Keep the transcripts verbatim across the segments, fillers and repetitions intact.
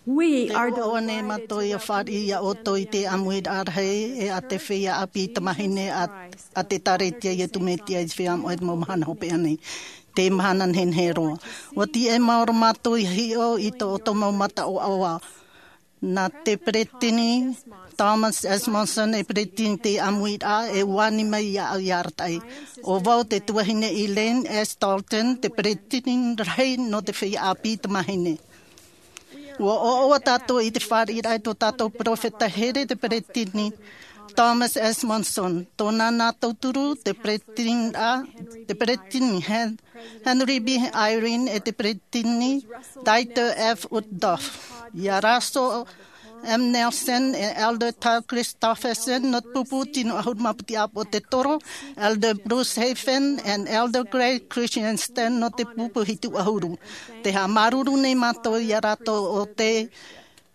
Te ʻoaʻoa nei mātou ia fāriʻi iā ʻoutou i te ʻāmuiraʻa rahi e a te feiā ʻāpī tamāhine a, a te Ēkālesia Iesu Mesia i te feiā moʻa i te mau mahana hopeʻa nei. Te mahana nehenehe roa. ʻUa tiʻa e maoro mātou i hiʻo i tō ʻoutou mau mata ʻoaʻoa. Nā te peresideni Thomas S. Monson e peresideni te ʻāmuiraʻa e ʻua ani mai iāʻu i arataʻi. ʻO vau te tuahine Elaine S. Dalton, te peresideni rahi nō te feiā ʻāpī tamāhine. ʻUa ʻoaʻoa tātou i te fāriʻiraʻa i tō tātou peropheta here te peresideni Thomas S. Monson. Tōna nā tauturu te peresideni, te peresideni Hen-, Henry B. Eyring e te peresideni Dieter F. Uchtdorf. Iā Russell M. Nelson e Elder Todd Christofferson nō te pupu tino ʻahuru mā piti ʻāpōsetolo, Elder Bruce Hafen and Elder Craig Christensen nō te pupu hitu ʻahuru. Te haʻamāuruuru nei mātou iā rātou ʻo tē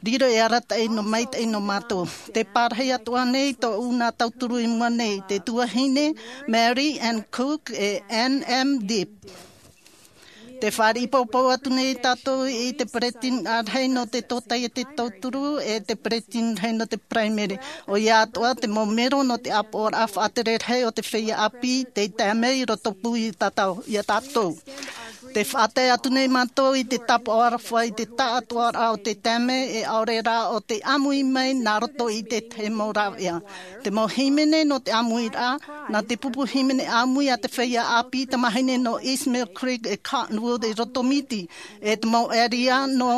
riro e arataʻi nō maitaʻi nō mātou. Te pārahi atoʻa nei tōʻu nā tauturu i mua nei, te tuahine Mary Ann Cook e Ann M. Dibb. Te fāriʻi poupou atu nei tātou i te peresideni rahi nō te tōtaiete tauturu e te peresideni rahi nō te paraimere. ʻOia atoʻa te mau mero nō te ʻāpoʻoraʻa faʻatere rahi o te feiā ʻāpī tei tae mai i rotopū iā tātou, iā tātou. Te faʻatae atu nei mātou i te tāpaʻo aroha i te taʻatoʻaraʻa o te taime e ʻaore rā o te ʻāmui mai nā roto i te tahi mau rāveʻa. Te mau hīmene nō te ʻāmuiraʻa, nā te pupu hīmene ʻāmui a te feiā ʻāpī tamāhine nō East Mill Creek e Cottonwood i Rotomiti, e te mau ʻēria nō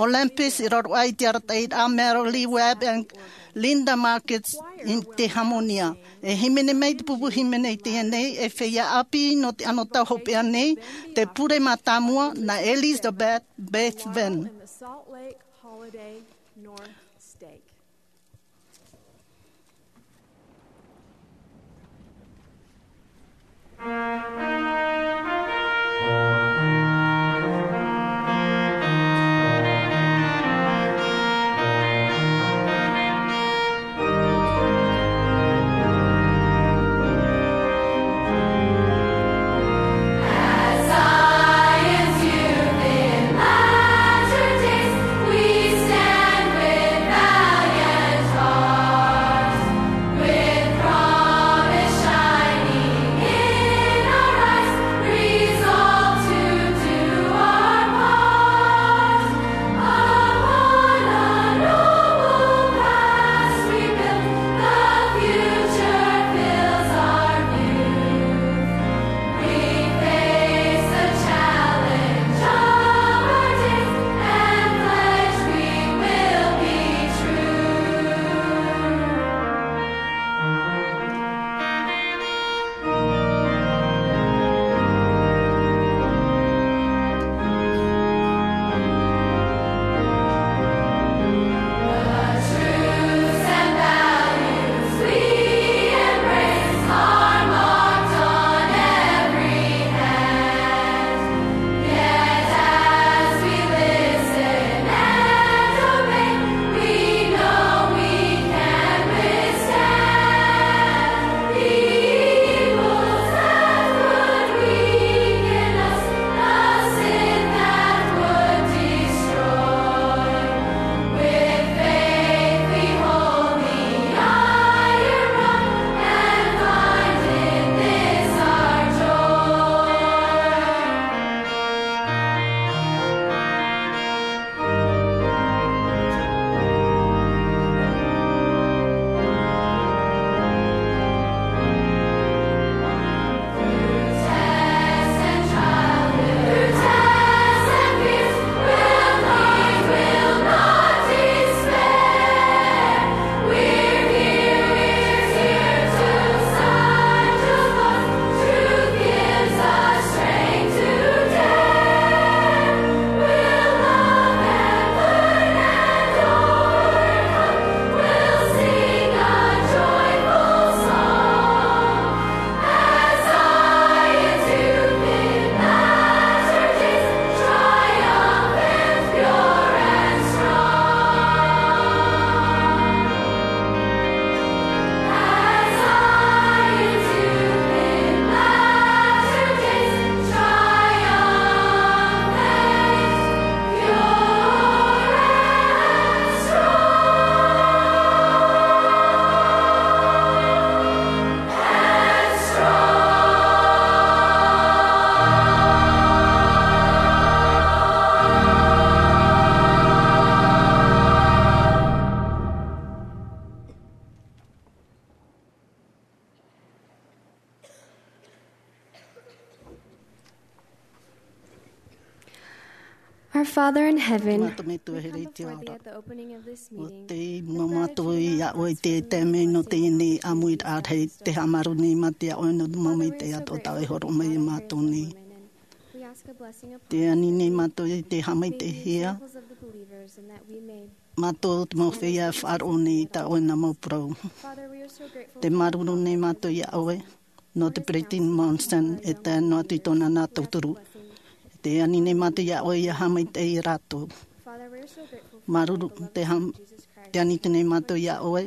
Olympus i raro aʻe i te arataʻiraʻa Merrilee Webb and Linda Markets i te Harmonia. E hīmene mai te pupu hīmene i teie nei, e feiā ʻāpī nō te anotau hopeʻa nei, te pure mātāmua nā Elizabeth Bethven. Our Father in heaven, Mātou Metua here i te ao ra. Ua tei mau mātou iā ʻoe i te taime nō teie nei ʻāmuiraʻa rahi, tē haʻamāuruuru nei mātou iā ʻoe nō te mau maitaʻi atoʻa tā ʻoe e hōroʻa mai iā mātou nei. Tē ani nei mātou i te haʻamaitaʻihia mātou te mau feiā e faʻaroʻo nei i tā ʻoe nā mau parau. Tē māuruuru nei mātou iā ʻoe nō te Peresideni Monson e tae noa atu i tōna nā tauturu. Tē ani nei mātou iā ʻoe ʻia haʻamaitaʻi ia rātou. Māuruuru, tē ha-, tē ani atu nei mātou iā ʻoe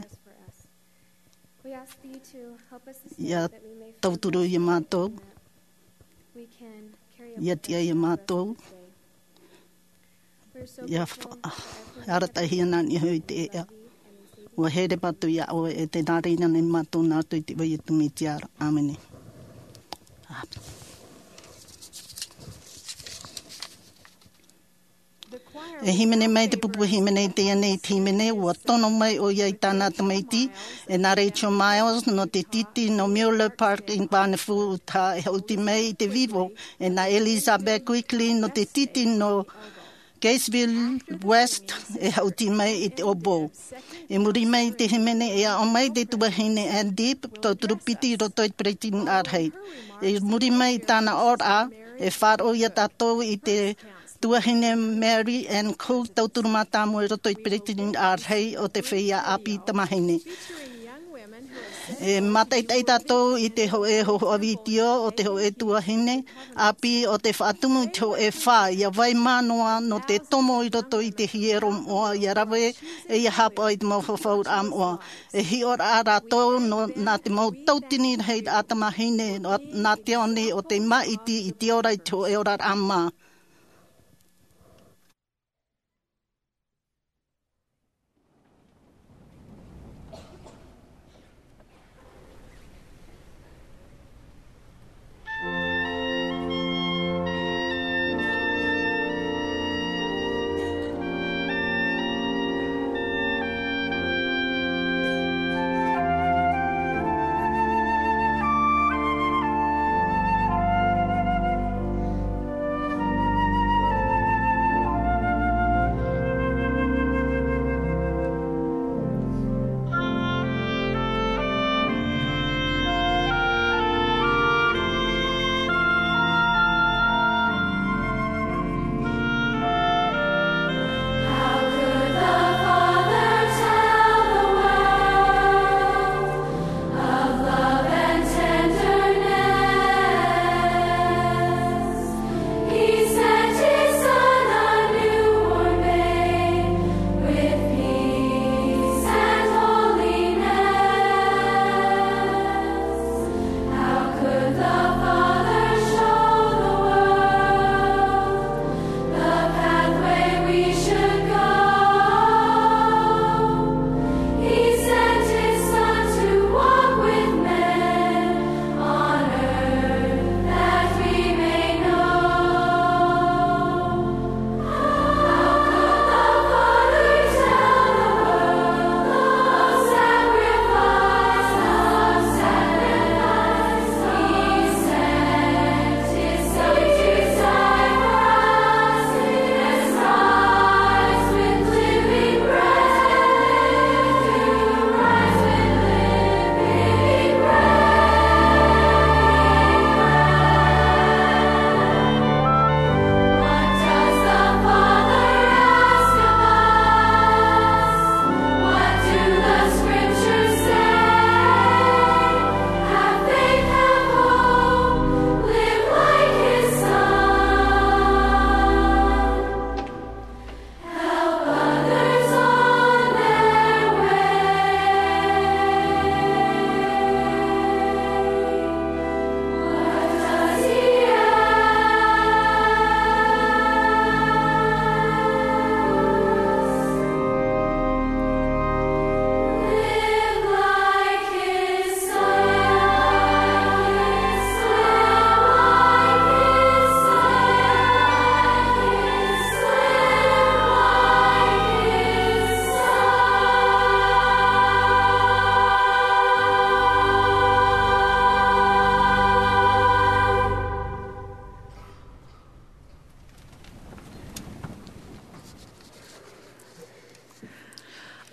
ʻia tauturu iā mātou, ʻia tiʻa iā mātou, ʻia fa-, arataʻihia nā niʻa iho i te ʻēʻa. Ua here mātou iā ʻoe, e tē nā reira nei mātou nā roto i te iʻoa o Iesu Mesia ra. ʻĀmene. ʻĀmene. E hīmene mai te pupu hīmene i teie nei te hīmene, ua tono mai ʻoia i tāna tamaiti, e nā Rachel Miles, nō te tītī nō Mueller Park i Vanuatu, e haʻuti mai i te vivo, e nā Elizabeth Quigley, nō te tītī nō Caseville West, e haʻuti mai i te oboe. I muri mai i te hīmene, e aʻo mai te tuahine Ann Dibb, tauturu piti i roto i te Peretiteni ʻĀrahi. I muri mai i tāna ʻōraʻa, e faʻaroʻo ia tātou i te tuahine Mary Ann Cook, tauturu mātāmua i roto i te Peretiteni ʻĀrahi o te feiā ʻāpī tamāhine. E mātaʻitaʻi tātou i te hōʻē hōhoʻa vitiō o te hōʻē tuahine ʻāpī o te faʻatumu i te hōʻē fā, ʻia vai mā noa nō te tomo i roto i te hiero moʻa, ʻia rave e ʻia haʻapaʻo i te mau fafauraʻa moʻa. E hiʻoraʻa rātou nō, nā te mau tauatini rahiraʻa tamāhine, nā, nā te ao nei o te māʻiti i te ora i te hōʻē oraraʻa mā.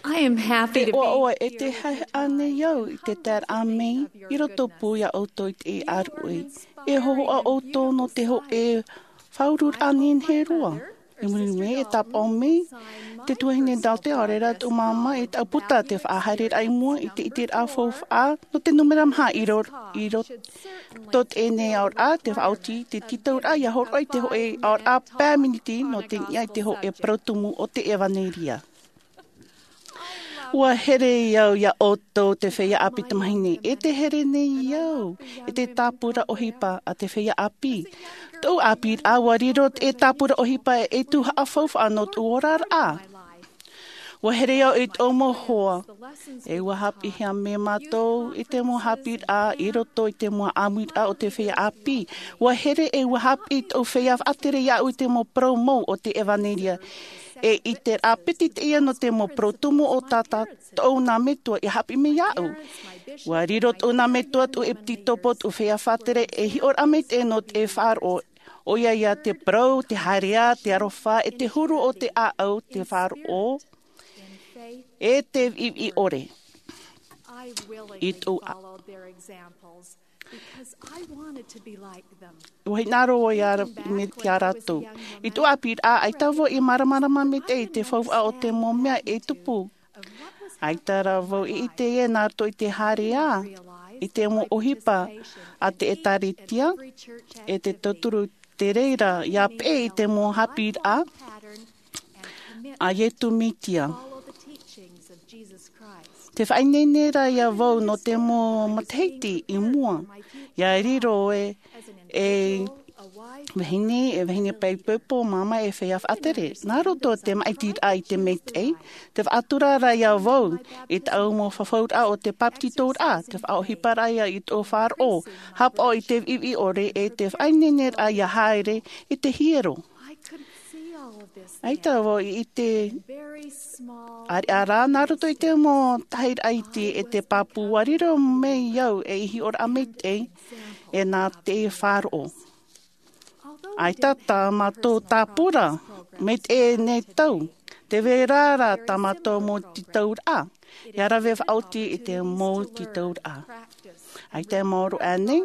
I am happy to be here. Te ʻoaʻoa e te haʻehaʻa nei au i te taeraʻa mai i roto pū iā ʻoutou i te ʻāruʻi. E hōhoʻa ʻoutou nō te hōʻē faʻaururaʻa nehenehe roa. I muri mai e tāpaʻo mai te tuahine Dalton, ʻaore rā tōʻu māmā, e taʻu puta te faʻahaereraʻa i mua i te ʻiteraʻa faufaʻa nō te nūmera maha i ro-, i roto teie nei aoraʻa, te faʻaoti te tītauraʻa ʻia hōroʻa i te hōʻē aoraʻa pae miniti nō te niʻa i te hōʻē parau tumu o te ʻevanelia. Ua here au iā ʻoutou te feiā ʻāpī tamāhine, e te here nei au i te tāpura ʻohipa a te feiā ʻāpī. Tōʻu ʻāpīraʻa, ua riro te tāpura ʻohipa ei tuhaʻa faufaʻa nō tōʻu oraraʻa. Ua here au i tōʻu mau hoa, e ua haʻapiʻihia mai mātou i te mau haʻapiʻiraʻa i roto i te mau ʻāmuiraʻa o te feiā ʻāpī. Ua here e ua haʻapiʻi tōʻu feiā faʻatere iāʻu i te mau parau mau o te ʻevanelia. E ʻiteraʻa piti teie nō te mau parau tumu o tā tātou nā metua i haʻapiʻi mai iāʻu. Ua riro tōʻu nā metua, tōʻu ʻepitopo, tōʻu feiā faʻatere ei hiʻoraʻa maitaʻi nō te faʻaroʻo. ʻOia ia te parau, te haereʻa, te aroha, e te huru o te ʻāʻau, te faʻaroʻo, e te viʻiviʻi ʻore. I tōʻu ʻā- Ua hinaʻaro vau iā ra-, me, iā rātou. I tōʻu ʻāpīraʻa, ʻaita vau i māramarama maitaʻi i te faufaʻa o te mau mea e tupu. ʻAita rā vau i ʻite ē nā roto i te haereʻa i te mau ʻohipa a te ʻĒtārētia, e te tauturu te reira ʻia peʻe i te mau haʻapiʻiraʻa a Iesu Mesia. Te faʻaineine ra iā vau nō te mau matahiti i mua, ʻia riro e, e vahine, e vahine paipoipo, māmā, e feiā faʻatere. Nā roto te māʻitiraʻa i te maitaʻi, te faʻatura ra iā vau i tāʻu mau fafauraʻa o te bāpetizoraʻa, te faʻaʻohiparaʻa i tōʻu faʻaroʻo, haʻapaʻo i te viʻiviʻi ʻore, e te faʻaineineraʻa ʻia haere i te hiero. ʻAita vau i ʻite ʻāreʻa rā, nā roto i te mau tahiraʻa iti e te pāpū, ua riro mai au ei hiʻoraʻa maitaʻi e nā te faʻaroʻo. ʻAita tā mātou tāpura maitaʻi nei tau, tē vai ra tā mātou mau tītauraʻa, ʻia rave faʻaoti i te mau tītauraʻa. ʻAita e maoro aʻe nei,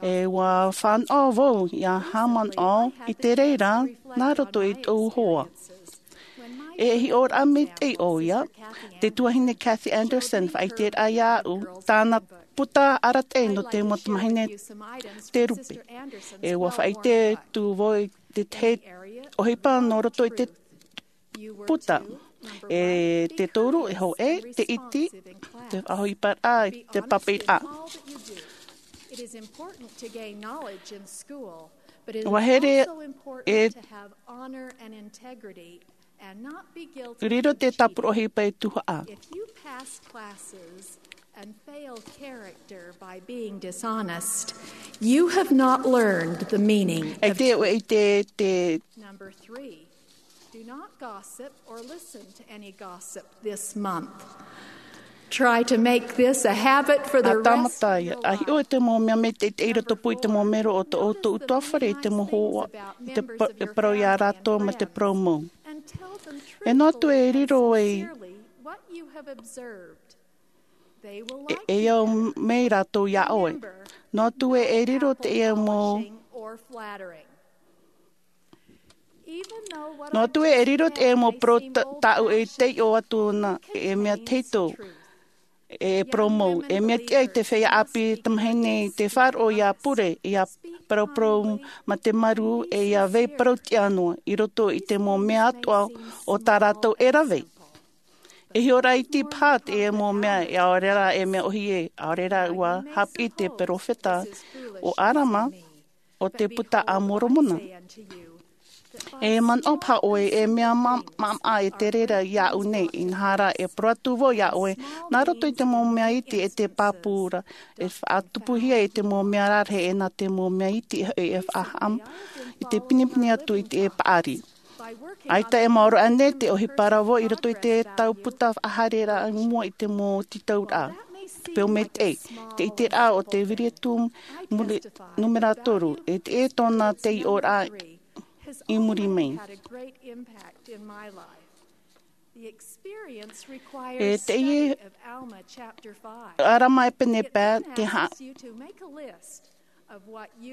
e ua fānaʻo vau ʻia haʻamanaʻo i te reira nā roto i tōʻu hoa. E hiʻoraʻa maitaʻi ʻoia, te tuahine Kathy Anderson, faʻaʻiteraʻa iāʻu, tāna puta arataʻi nō te mau tamāhine te rupe. E ua faʻaʻite atu vau i te tahi ʻohipa nō roto i te puta. E te toru, e hōʻē, te iti, te faʻaʻohiparaʻa, te pāpaʻiraʻa. It is important to gain knowledge in school, but it is Ua here also important e to have honor and integrity and not be guilty riro te tāpura ʻohipa e tuhaʻa. If you pass classes and fail character by being dishonest, you have not learned the meaning of. E te, e te, te Number three, do not gossip or listen to any gossip this month. Try to make this a habit for the rest of your life. A tāmata ia, a hiʻo i te mau mea maitaʻi i roto pū i te mau mero o tō ʻoutou ʻutuāfare, i te mau hoa, i te pa-, e parau iā rātou mā te parau mau. E noa atu e riro ei, e, e au mai rātou iā ʻoe. Noa atu e, e riro teie mau Noa atu e riro te mau parau ta-, tāʻu e taiʻo atu na, e mea tahito, e parau mau, e mea tiʻa i te feiā ʻāpī tamāhine i te faʻaroʻo ʻia pure, ʻia paraparau mā te maru, e ʻia vai parau tiʻa noa, i roto i te mau mea atoʻa o tā rātou e rave. E hiʻoraʻa iti paha te mau mea, e ʻaore rā e mea ʻōhie, ʻaore rā ua haʻapiʻi te perofeta ʻo Arama, o te Puta a Moromona. E manaʻo paha ʻoe, e mea ma-, maʻamaʻa e te reira iāʻu nei, inaha rā e parau atu vau iā ʻoe, nā roto i te mau mea iti e te pāpū ra, e faʻatupuhia i te mau mea rarahi, e nā te mau mea iti e, e faʻahaʻa-, i te pinepine atu i te paʻari. ʻAita e maoro aʻe nei te ʻohipa ra vau i roto i te tau puta faʻahaereraʻa i mua i te mau tītauraʻa. Te peu maitaʻi, te ʻiteraʻa o te Viritu muri-, numera toru, e te, e tōna taiʻoraʻa i muri mai. E teie ʻArama e pene pae, te ha-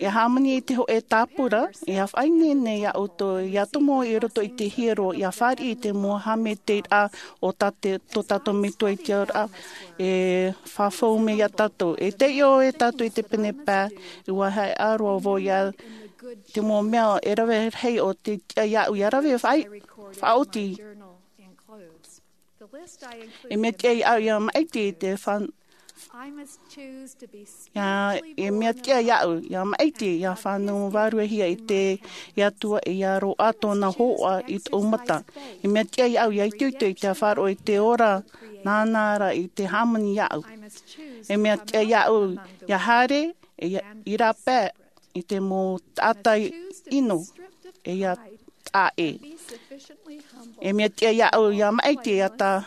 e hāmani i te hōʻē tāpura, e faʻaineine iā ʻoutou, ʻia tomo i roto i te hiero, ʻia fāriʻi i te mau haʻamaitaʻiraʻa o tā te, tō tātou Metua i te ao ra, e fafau mai iā tātou. E taiʻo e tātou i te pene pae, ʻua haʻeʻa roa vau iā te mau mea e rave rahi o te tiʻa iāʻu ʻia rave faʻa-, faʻaoti. E mea tiʻa iāʻu ʻia maʻiti i te fan-, ʻia, e mea tiʻa iāʻu ʻia maʻiti, ʻia fānau vāruahia i te, i te Atua, ʻia roaʻa tōna hōhoʻa i tōʻu mata. E mea tiʻa iāʻu ʻia itoito i te faʻaroʻo i te ora, nāna rā i te hāmani iāʻu. E mea tiʻa iāʻu ʻia haere, e ʻia, i rāpae, i te mau taʻata ʻino, e ʻia taʻa ʻē. E mea tiʻa iāʻu ʻia maʻiti, ʻia tā-,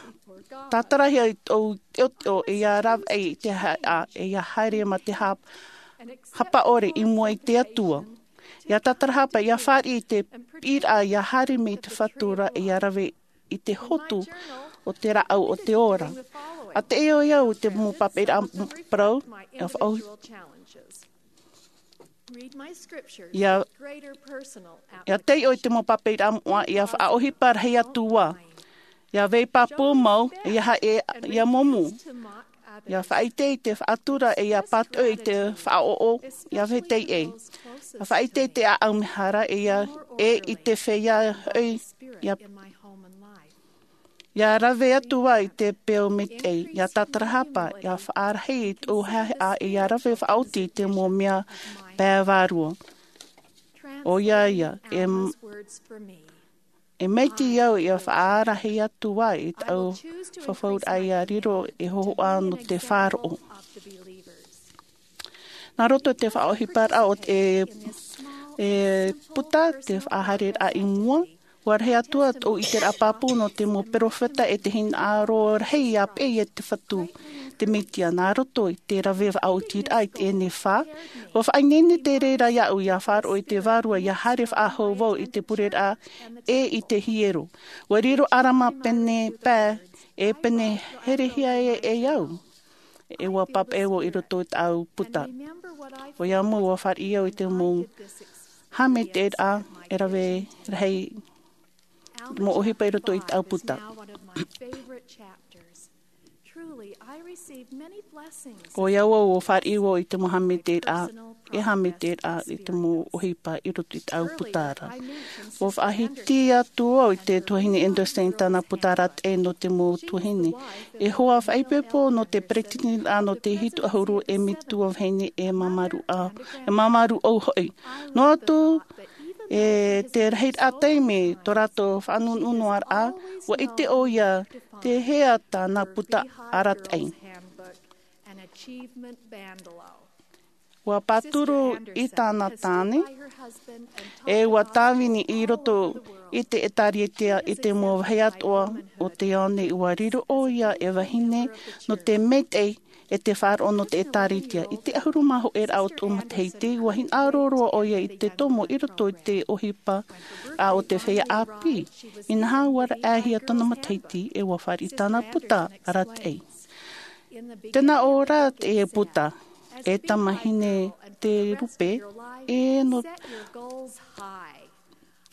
tātarahia i tōʻu teʻoteʻo, e ʻia rave i te haʻeʻa, e ʻia haere mā te hap-, hapa ʻore i mua i te Atua. ʻIa tātarahapa, ʻia fāriʻi i te piʻiraʻa, ʻia haere mai i te Fatu ra, e ʻia rave i te hotu o te rāʻau o te ora. ʻA taiʻo au i te mau pāpaʻiraʻa parau, ʻia faʻaʻohi-, ʻia, ʻia taiʻo i te mau pāpaʻiraʻa moʻa, ʻia faʻaʻohipa rahi atu ā. ʻIa vai pāpū mau, ʻia haʻe, ʻia momu. ʻIa faʻaʻite i te faʻatura, e ʻia pātoʻi i te faʻaʻoʻo, ʻia vai teie. ʻIa faʻaʻite i te ʻāʻau mehara, e ʻia, e i te feiā hoʻi, ʻia, ʻia rave atu ā i te peu maitaʻi, ʻia tātarahapa, ʻia faʻarahi i tōʻu haʻeʻa, e ʻia rave faʻaoti i te mau mea pae vārua. ʻOia ia, e m-, e maitaʻi au ʻia faʻarahi atu ā i tāʻu fafauraʻa ʻia riro ei hōhoʻa nō te faʻaroʻo. Nā roto i te faʻaʻohiparaʻa o te, e, puta, te faʻahaereraʻa i mua, ʻua rahi atu ā tōʻu ʻiteraʻa pāpū nō te mau perofeta e te hinaʻaro rahi ʻia peʻe i te Fatu, te Mesia, nā roto i te rave faʻaotiraʻa i teie nei fā. ʻUa faʻaineine te reira iāʻu ʻia faʻaroʻo i te Vārua, ʻia haere faʻahou vau i te pureraʻa e i te hiero. ʻUa riro ʻArama pene pae, e pene herehia e, e au. E ʻua pāpaʻi vau i roto i tāʻu puta. ʻOia mau ʻua fāriʻi au i te mau haʻamaitaʻiraʻa e rave rahi, mau ʻohipa i roto i tāʻu puta. ʻOia vau, ʻua fāriʻi vau i te mau haʻamaitaʻiraʻa, e haʻamaitaʻiraʻa i te mau ʻohipa i roto i tāʻu puta ra. ʻUa faʻahiti atu vau i te tuahine Anderson i tāna puta arataʻi nō te mau tuahine. E hoa faʻaipoipo nō te peretiteniraʻa nō te hitu ʻahuru e metua vahine e māmāruʻa, e māmāruʻau hoʻi. Noa atu, e te rahiraʻa taime tō rātou faʻanunuʻaraʻa, ʻua ʻite ʻoia te hea tāna puta arataʻi. ʻUa pāturu i tāna tāne, e ʻua tāvini i roto i te ʻĒtārētia i te mau vāhi atoʻa o te ao nei. ʻUa riro ʻoia ei vahine nō te maitaʻi e te faʻaroʻo nō te ʻĒtārētia. I te ʻahuru mā hōʻē raʻa o tōʻu matahiti, ʻua hinaʻaro roa ʻoia i te tomo i roto i te ʻohipa a o te feiā ʻāpī. Inaha, ʻua raʻehia tōna matahiti, e ʻua fāriʻi tāna puta arataʻi. Tē nā ʻō ra te puta, e tamahine Terupe, e nō,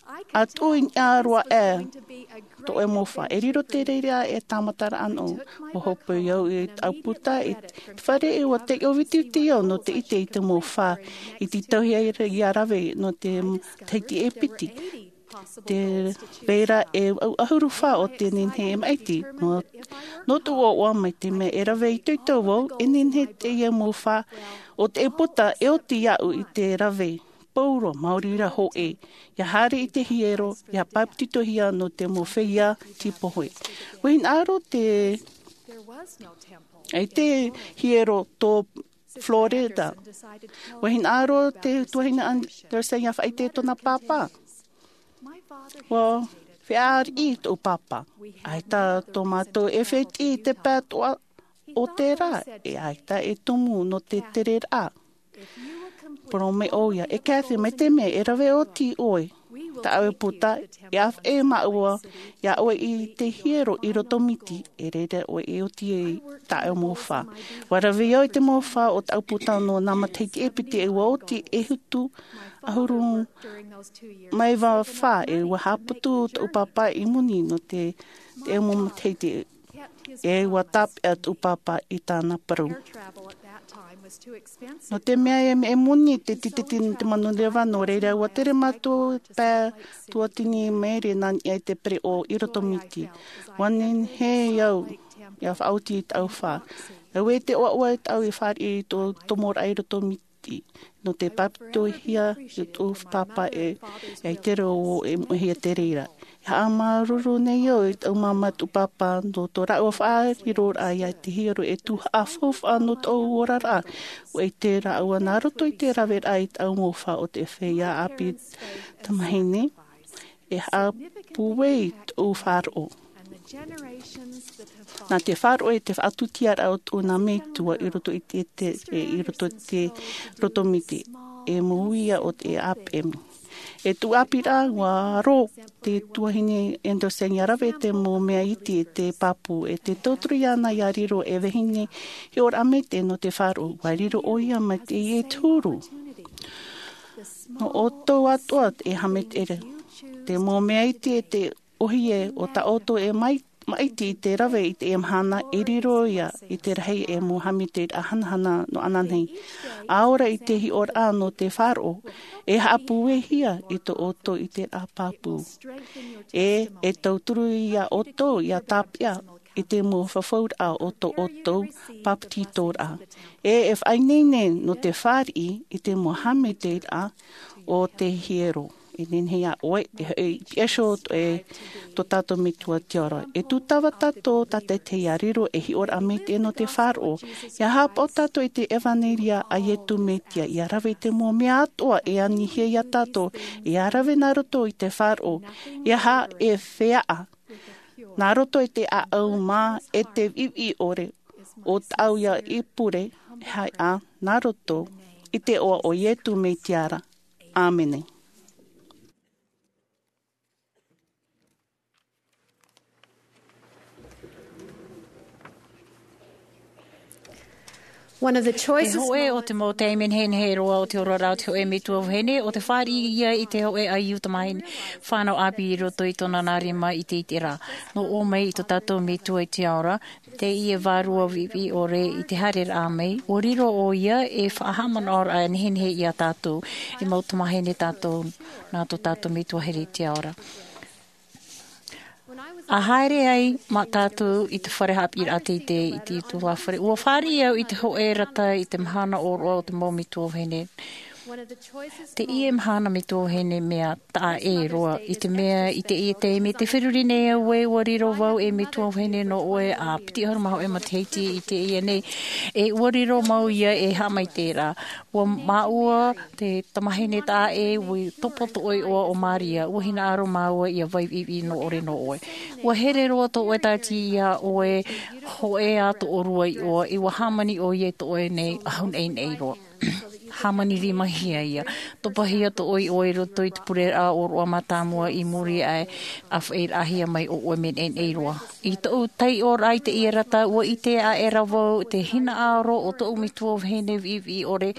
ʻa tuʻu i niʻa roa aʻe tō ʻoe mau fā. E riro te reira e tāmataraʻa nō. ʻUa hōpoi au i tāʻu puta i te fare, e ʻua taiʻo vitiviti au nō te ʻite i te mau fā. I te tauihaʻa ʻia rave nō te matahiti e piti. Te reira e vaʻu ʻahuru fā o te nehenehe e maʻiti. Nō, nō tōʻu ʻoaʻoa mai te mea e rave itoito vau, e nehenehe teie mau fā o te puta e oti iāʻu i te rave. Pauroa, maori rā hōʻē, ʻia haere i te hiero, ʻia pāpetitohia nō te mau feiā tīpohe. ʻUa hinaʻaro te, ʻaita e hiero tō Florida. ʻUa hinaʻaro te tuahine Anderson ʻia faʻaʻite i tōna pāpā. ʻUa fēʻariʻi tōʻu pāpā. ʻAita tō mātou e fētiʻi i te pae atoʻa o te rā, e ʻaita e tumu nō te tereraʻa. Parau mai ʻoia, e Kathy, mai te mea e rave oti ʻoe, tāʻu e puta, e ʻāfaʻi māua iā ʻoe i te hiero i roto miti, e reira ʻoe e oti ai tāʻu mau fā. Ua rave au i te mau fā o tāʻu puta nō nā matahiti e piti, e ua oti e hitu ʻahuru mā iva fā, e ua haʻaputu tōʻu pāpā i moni nō te, te mau matahiti, e ua tāpeʻa tōʻu pāpā i tāna parau. Nō te mea e mea moni te tīteti nō te manureva, nō reira ua tere mātou pae tuatini maere nā niʻa i te pereʻoʻo i roto miti. Ua nehenehe au ia faʻaoti i tāʻu fā. Auē te ʻoaʻoa e tāʻu i fāriʻi i tō tomoraʻa i roto miti nō te pāpetihia i tōʻu pāpā e, e i te reo e moʻehia te reira. E haʻamāuruuru nei au i tāʻu māmā, tōʻu pāpā, nō tō rāua faʻariroraʻa iā te hiero e tuhaʻa faufaʻa nō tōʻu oraraʻa. Ua ʻite rāua nā roto i te raveraʻa i tāʻu mau fā o te feiā ʻāpī tamāhine, e haʻapūai tōʻu faʻaroʻo. Nā te faʻaroʻo i te faʻatūtiaraʻa o tōʻu nā metua i roto i te, te, i roto i te roto miti, e mau ia o te ʻāpemi. E tōʻu ʻāpīraʻa, ua rō te tuahine Andersen ia rave te mau mea iti e te pāpū, e te tauturu iāna ia riro e vahine hiʻoraʻa maitaʻi nō te faʻaroʻo. Ua riro ʻoia mai te, e te huru. Nō ʻoutou atoʻa e haʻamaitaʻi ra. Te mau mea iti e te ʻōhie o tā ʻoutou e mai, maʻiti i te rave i teie mahana, e riro ia i te rahi e mau haʻamaitaʻiraʻa hanahana nō ananahi. ʻA ora i te hiʻoraʻa nō te faʻaroʻo, e haʻapūaihia i tō ʻoutou ʻiteraʻa pāpū. E, e tauturu iā ʻoutou ia tāpeʻa i te mau fafauraʻa o tō ʻoutou pāpetitoraʻa. E, e faʻaineine nō te fāriʻi i te mau haʻamaitaʻiraʻa o te hiero. E nehenehe ʻoe, e, e, e, e, tō tātou Metua te ora. E tūtava tātou tātaʻitahi ia riro e hiʻoraʻa maitaʻi nō te faʻaroʻo. Ia haʻapaʻo tātou i te ʻevanelia a Iesu Mesia, ia rave i te mau mea atoʻa e anihia iā tātou, ia rave nā roto i te faʻaroʻo. Ia haʻa e feaʻa nā roto i te ʻāʻau mā e te viʻiviʻi ʻore o tāʻu ia i pure, e haʻa nā roto i te iʻoa o Iesu Mesia ra. ʻĀmene. One of the choices. Te hōʻē o te mau taime nehenehe roa o te oraraʻa o te hōʻē metua vahine, ʻo te fāriʻi ia i te hōʻē ʻaiū tamāhine fānau ʻāpī i roto i tōna nā rima i te ʻiteraʻa. Nō ʻō mai i tō tātou Metua i te ao ra, teie vārua viʻiviʻi ʻore i te haereraʻa mai, ʻua riro ʻoia ei faʻahaʻamanaʻoraʻa nehenehe iā tātou, e mau tamāhine tātou, nā tō tātou Metua here i te ao ra. ʻA haere ai mātou i te fare haʻapiʻiraʻa teitei i te ʻutuāfare, ʻua fāriʻi au i te hōʻē rata i te mahana ʻōroʻa o te mau metua vahine. Teie mahana metua vahine mea taʻa ʻē roa, i te mea i teie taime tē feruri nei au ē, ʻua riro vau ei metua vahine nō ʻoe ʻa piti ʻahuru mā hōʻē matahiti i teie nei, e ʻua riro mau ia ei haʻamaitaʻiraʻa. ʻUa māua te tamāhine taʻa ʻē, ʻua topa tō ʻoe iʻoa ʻo Maria, ʻua hinaʻaro māua ia vai viʻiviʻi nō ʻore nō ʻoe. ʻUa here roa tō ʻoe Tāti iā ʻoe, hōʻē ā tō ʻōrua iʻoa, e ʻua hāmani ʻoia i tō ʻoe nei ʻahu naʻinaʻi roa. Hāmani rimahia ia. Topahia tō ʻoe iʻoa i roto i te pureraʻa ʻōroʻa mātāmua i muri aʻe, ʻa faʻaʻitehia mai ʻo ʻoe mea naʻinaʻi roa. I tōʻu taiʻoraʻa i teie rata, ʻua ʻite aʻera vau te hinaʻaro o tōʻu metua vahine viʻiviʻi ʻore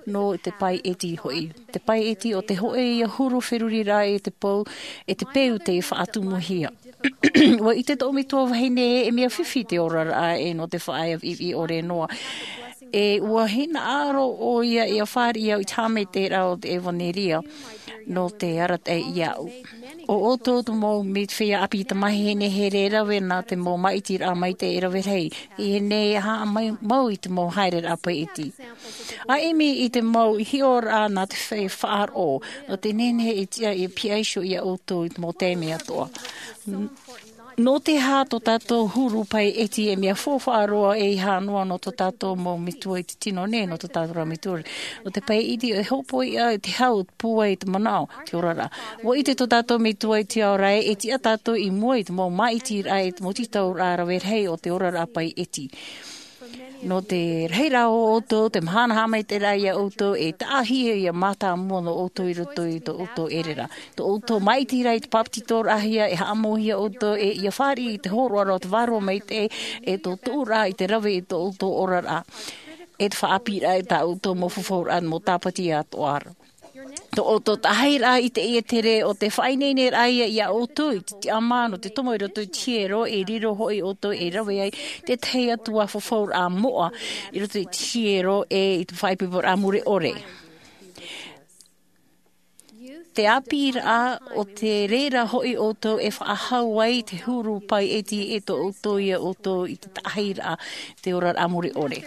nō te pae ʻeti hoʻi. Te pae ʻeti ʻo te hōʻē ia huru feruriraʻa e te peu, e te peu tei faʻatumuhia. ʻUa ʻite tōʻu metua vahine ē, e mea fifi te oraraʻa ē nō te faʻaea viʻiviʻi ʻore noa. E ʻua hinaʻaro ʻoia ia fāriʻi au i te haʻamaitaʻiraʻa o te ʻevanelia nō te arataʻi iāʻu. ʻO ʻoutou te mau mea feiā ʻāpī tamāhine here e rave nā te mau māʻitiraʻa maitaʻi e rave rahi. ʻIa nehenehe e haʻamau i te mau haereraʻa pae ʻeti. ʻA ʻimi i te mau hiʻoraʻa nā te feiā faʻaroʻo, nō te nehenehe e tiʻa e pihaʻi iho iā ʻoutou i te mau taime atoʻa. Nō te aha tō tātou huru pae ʻeti e mea faufaʻa roa, ʻeiaha noa nō tō tātou mau metua i te tino nei, nō tō tātou ra metua. Nō te pae ʻeti e hōpoiʻa te hau, pūai te manaʻo, te oraraʻa. ʻUa ʻite tō tātou Metua i te ao ra ē, e tiʻa tātou i mua i te mau māʻitiraʻa, i te mau tītauraʻa rave rahi o te oraraʻa pae ʻeti. Nō te rahiraʻa o ʻoutou, te mahana haʻamaitaʻiraʻa ia ʻoutou, e taʻahia ia mātāmua nō ʻoutou i roto i tō ʻoutou ʻereraʻa. Tō ʻoutou maʻitiraʻa i te papetitoraʻahia, e haʻamauhia ʻoutou, e ia fāriʻi i te hōroʻaraʻa o te Vārua Maitaʻi, e tō tuʻuraʻa i te rave i tō ʻoutou oraraʻa. E te faʻaʻāpīraʻa i tā ʻoutou mau fafauraʻa mau tāpati atoʻa ra. Tō ʻoutou taʻahiraʻa i teie tere o te faʻaineineraʻa ia ia ʻoutou i te tiʻamā nō te tomo i roto i te hiero, e riro hoʻi ʻoutou e rave ai tētahi atu ā fafauraʻa moʻa i roto i te hiero e i te faʻaipoiporaʻa mure ʻore. Te ʻāpīraʻa o te reira hoʻi ʻoutou e faʻahou ai te huru paʻi ʻeti e tō ʻoutou ia ʻoutou i te taʻahiraʻa te oraraʻa mure ʻore.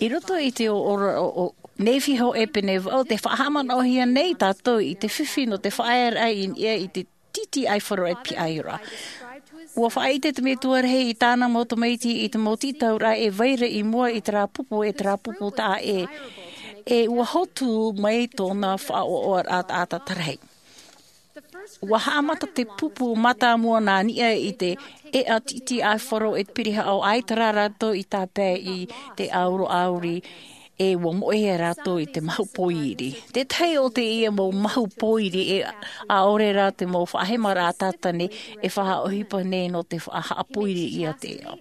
I roto i te oraraʻa o Nēfī hōʻē pene vaʻu, tē faʻahaʻamanaʻohia nei tātou i te fifi nō te faʻaearaʻa i niʻa i te tītī ʻaifaro e pihaʻi ra. ʻUa faʻaʻite te Metua rahi i tāna mau tamaiti i te mau tītauraʻa e vai ra i mua i terā pupu, e terā pupu taʻa ʻē. E ʻua hotu mai tōna faʻaʻoaʻoaraʻa taʻata rahi. ʻUa haʻamata te pupu mātāmua nā niʻa i te ʻēʻa tītī ʻaifaro e te pirihaʻo, ʻaita rā rātou i tāpae i te ʻauro ʻāuri, e ʻua moʻehia rātou i te mahu pōiri. Tētahi o teie mau mahu pōiri, e ʻaore rā te mau faʻahemaraʻa tātane e faʻaʻohipa nei nō te faʻahaʻapōiri ia te ʻēʻa.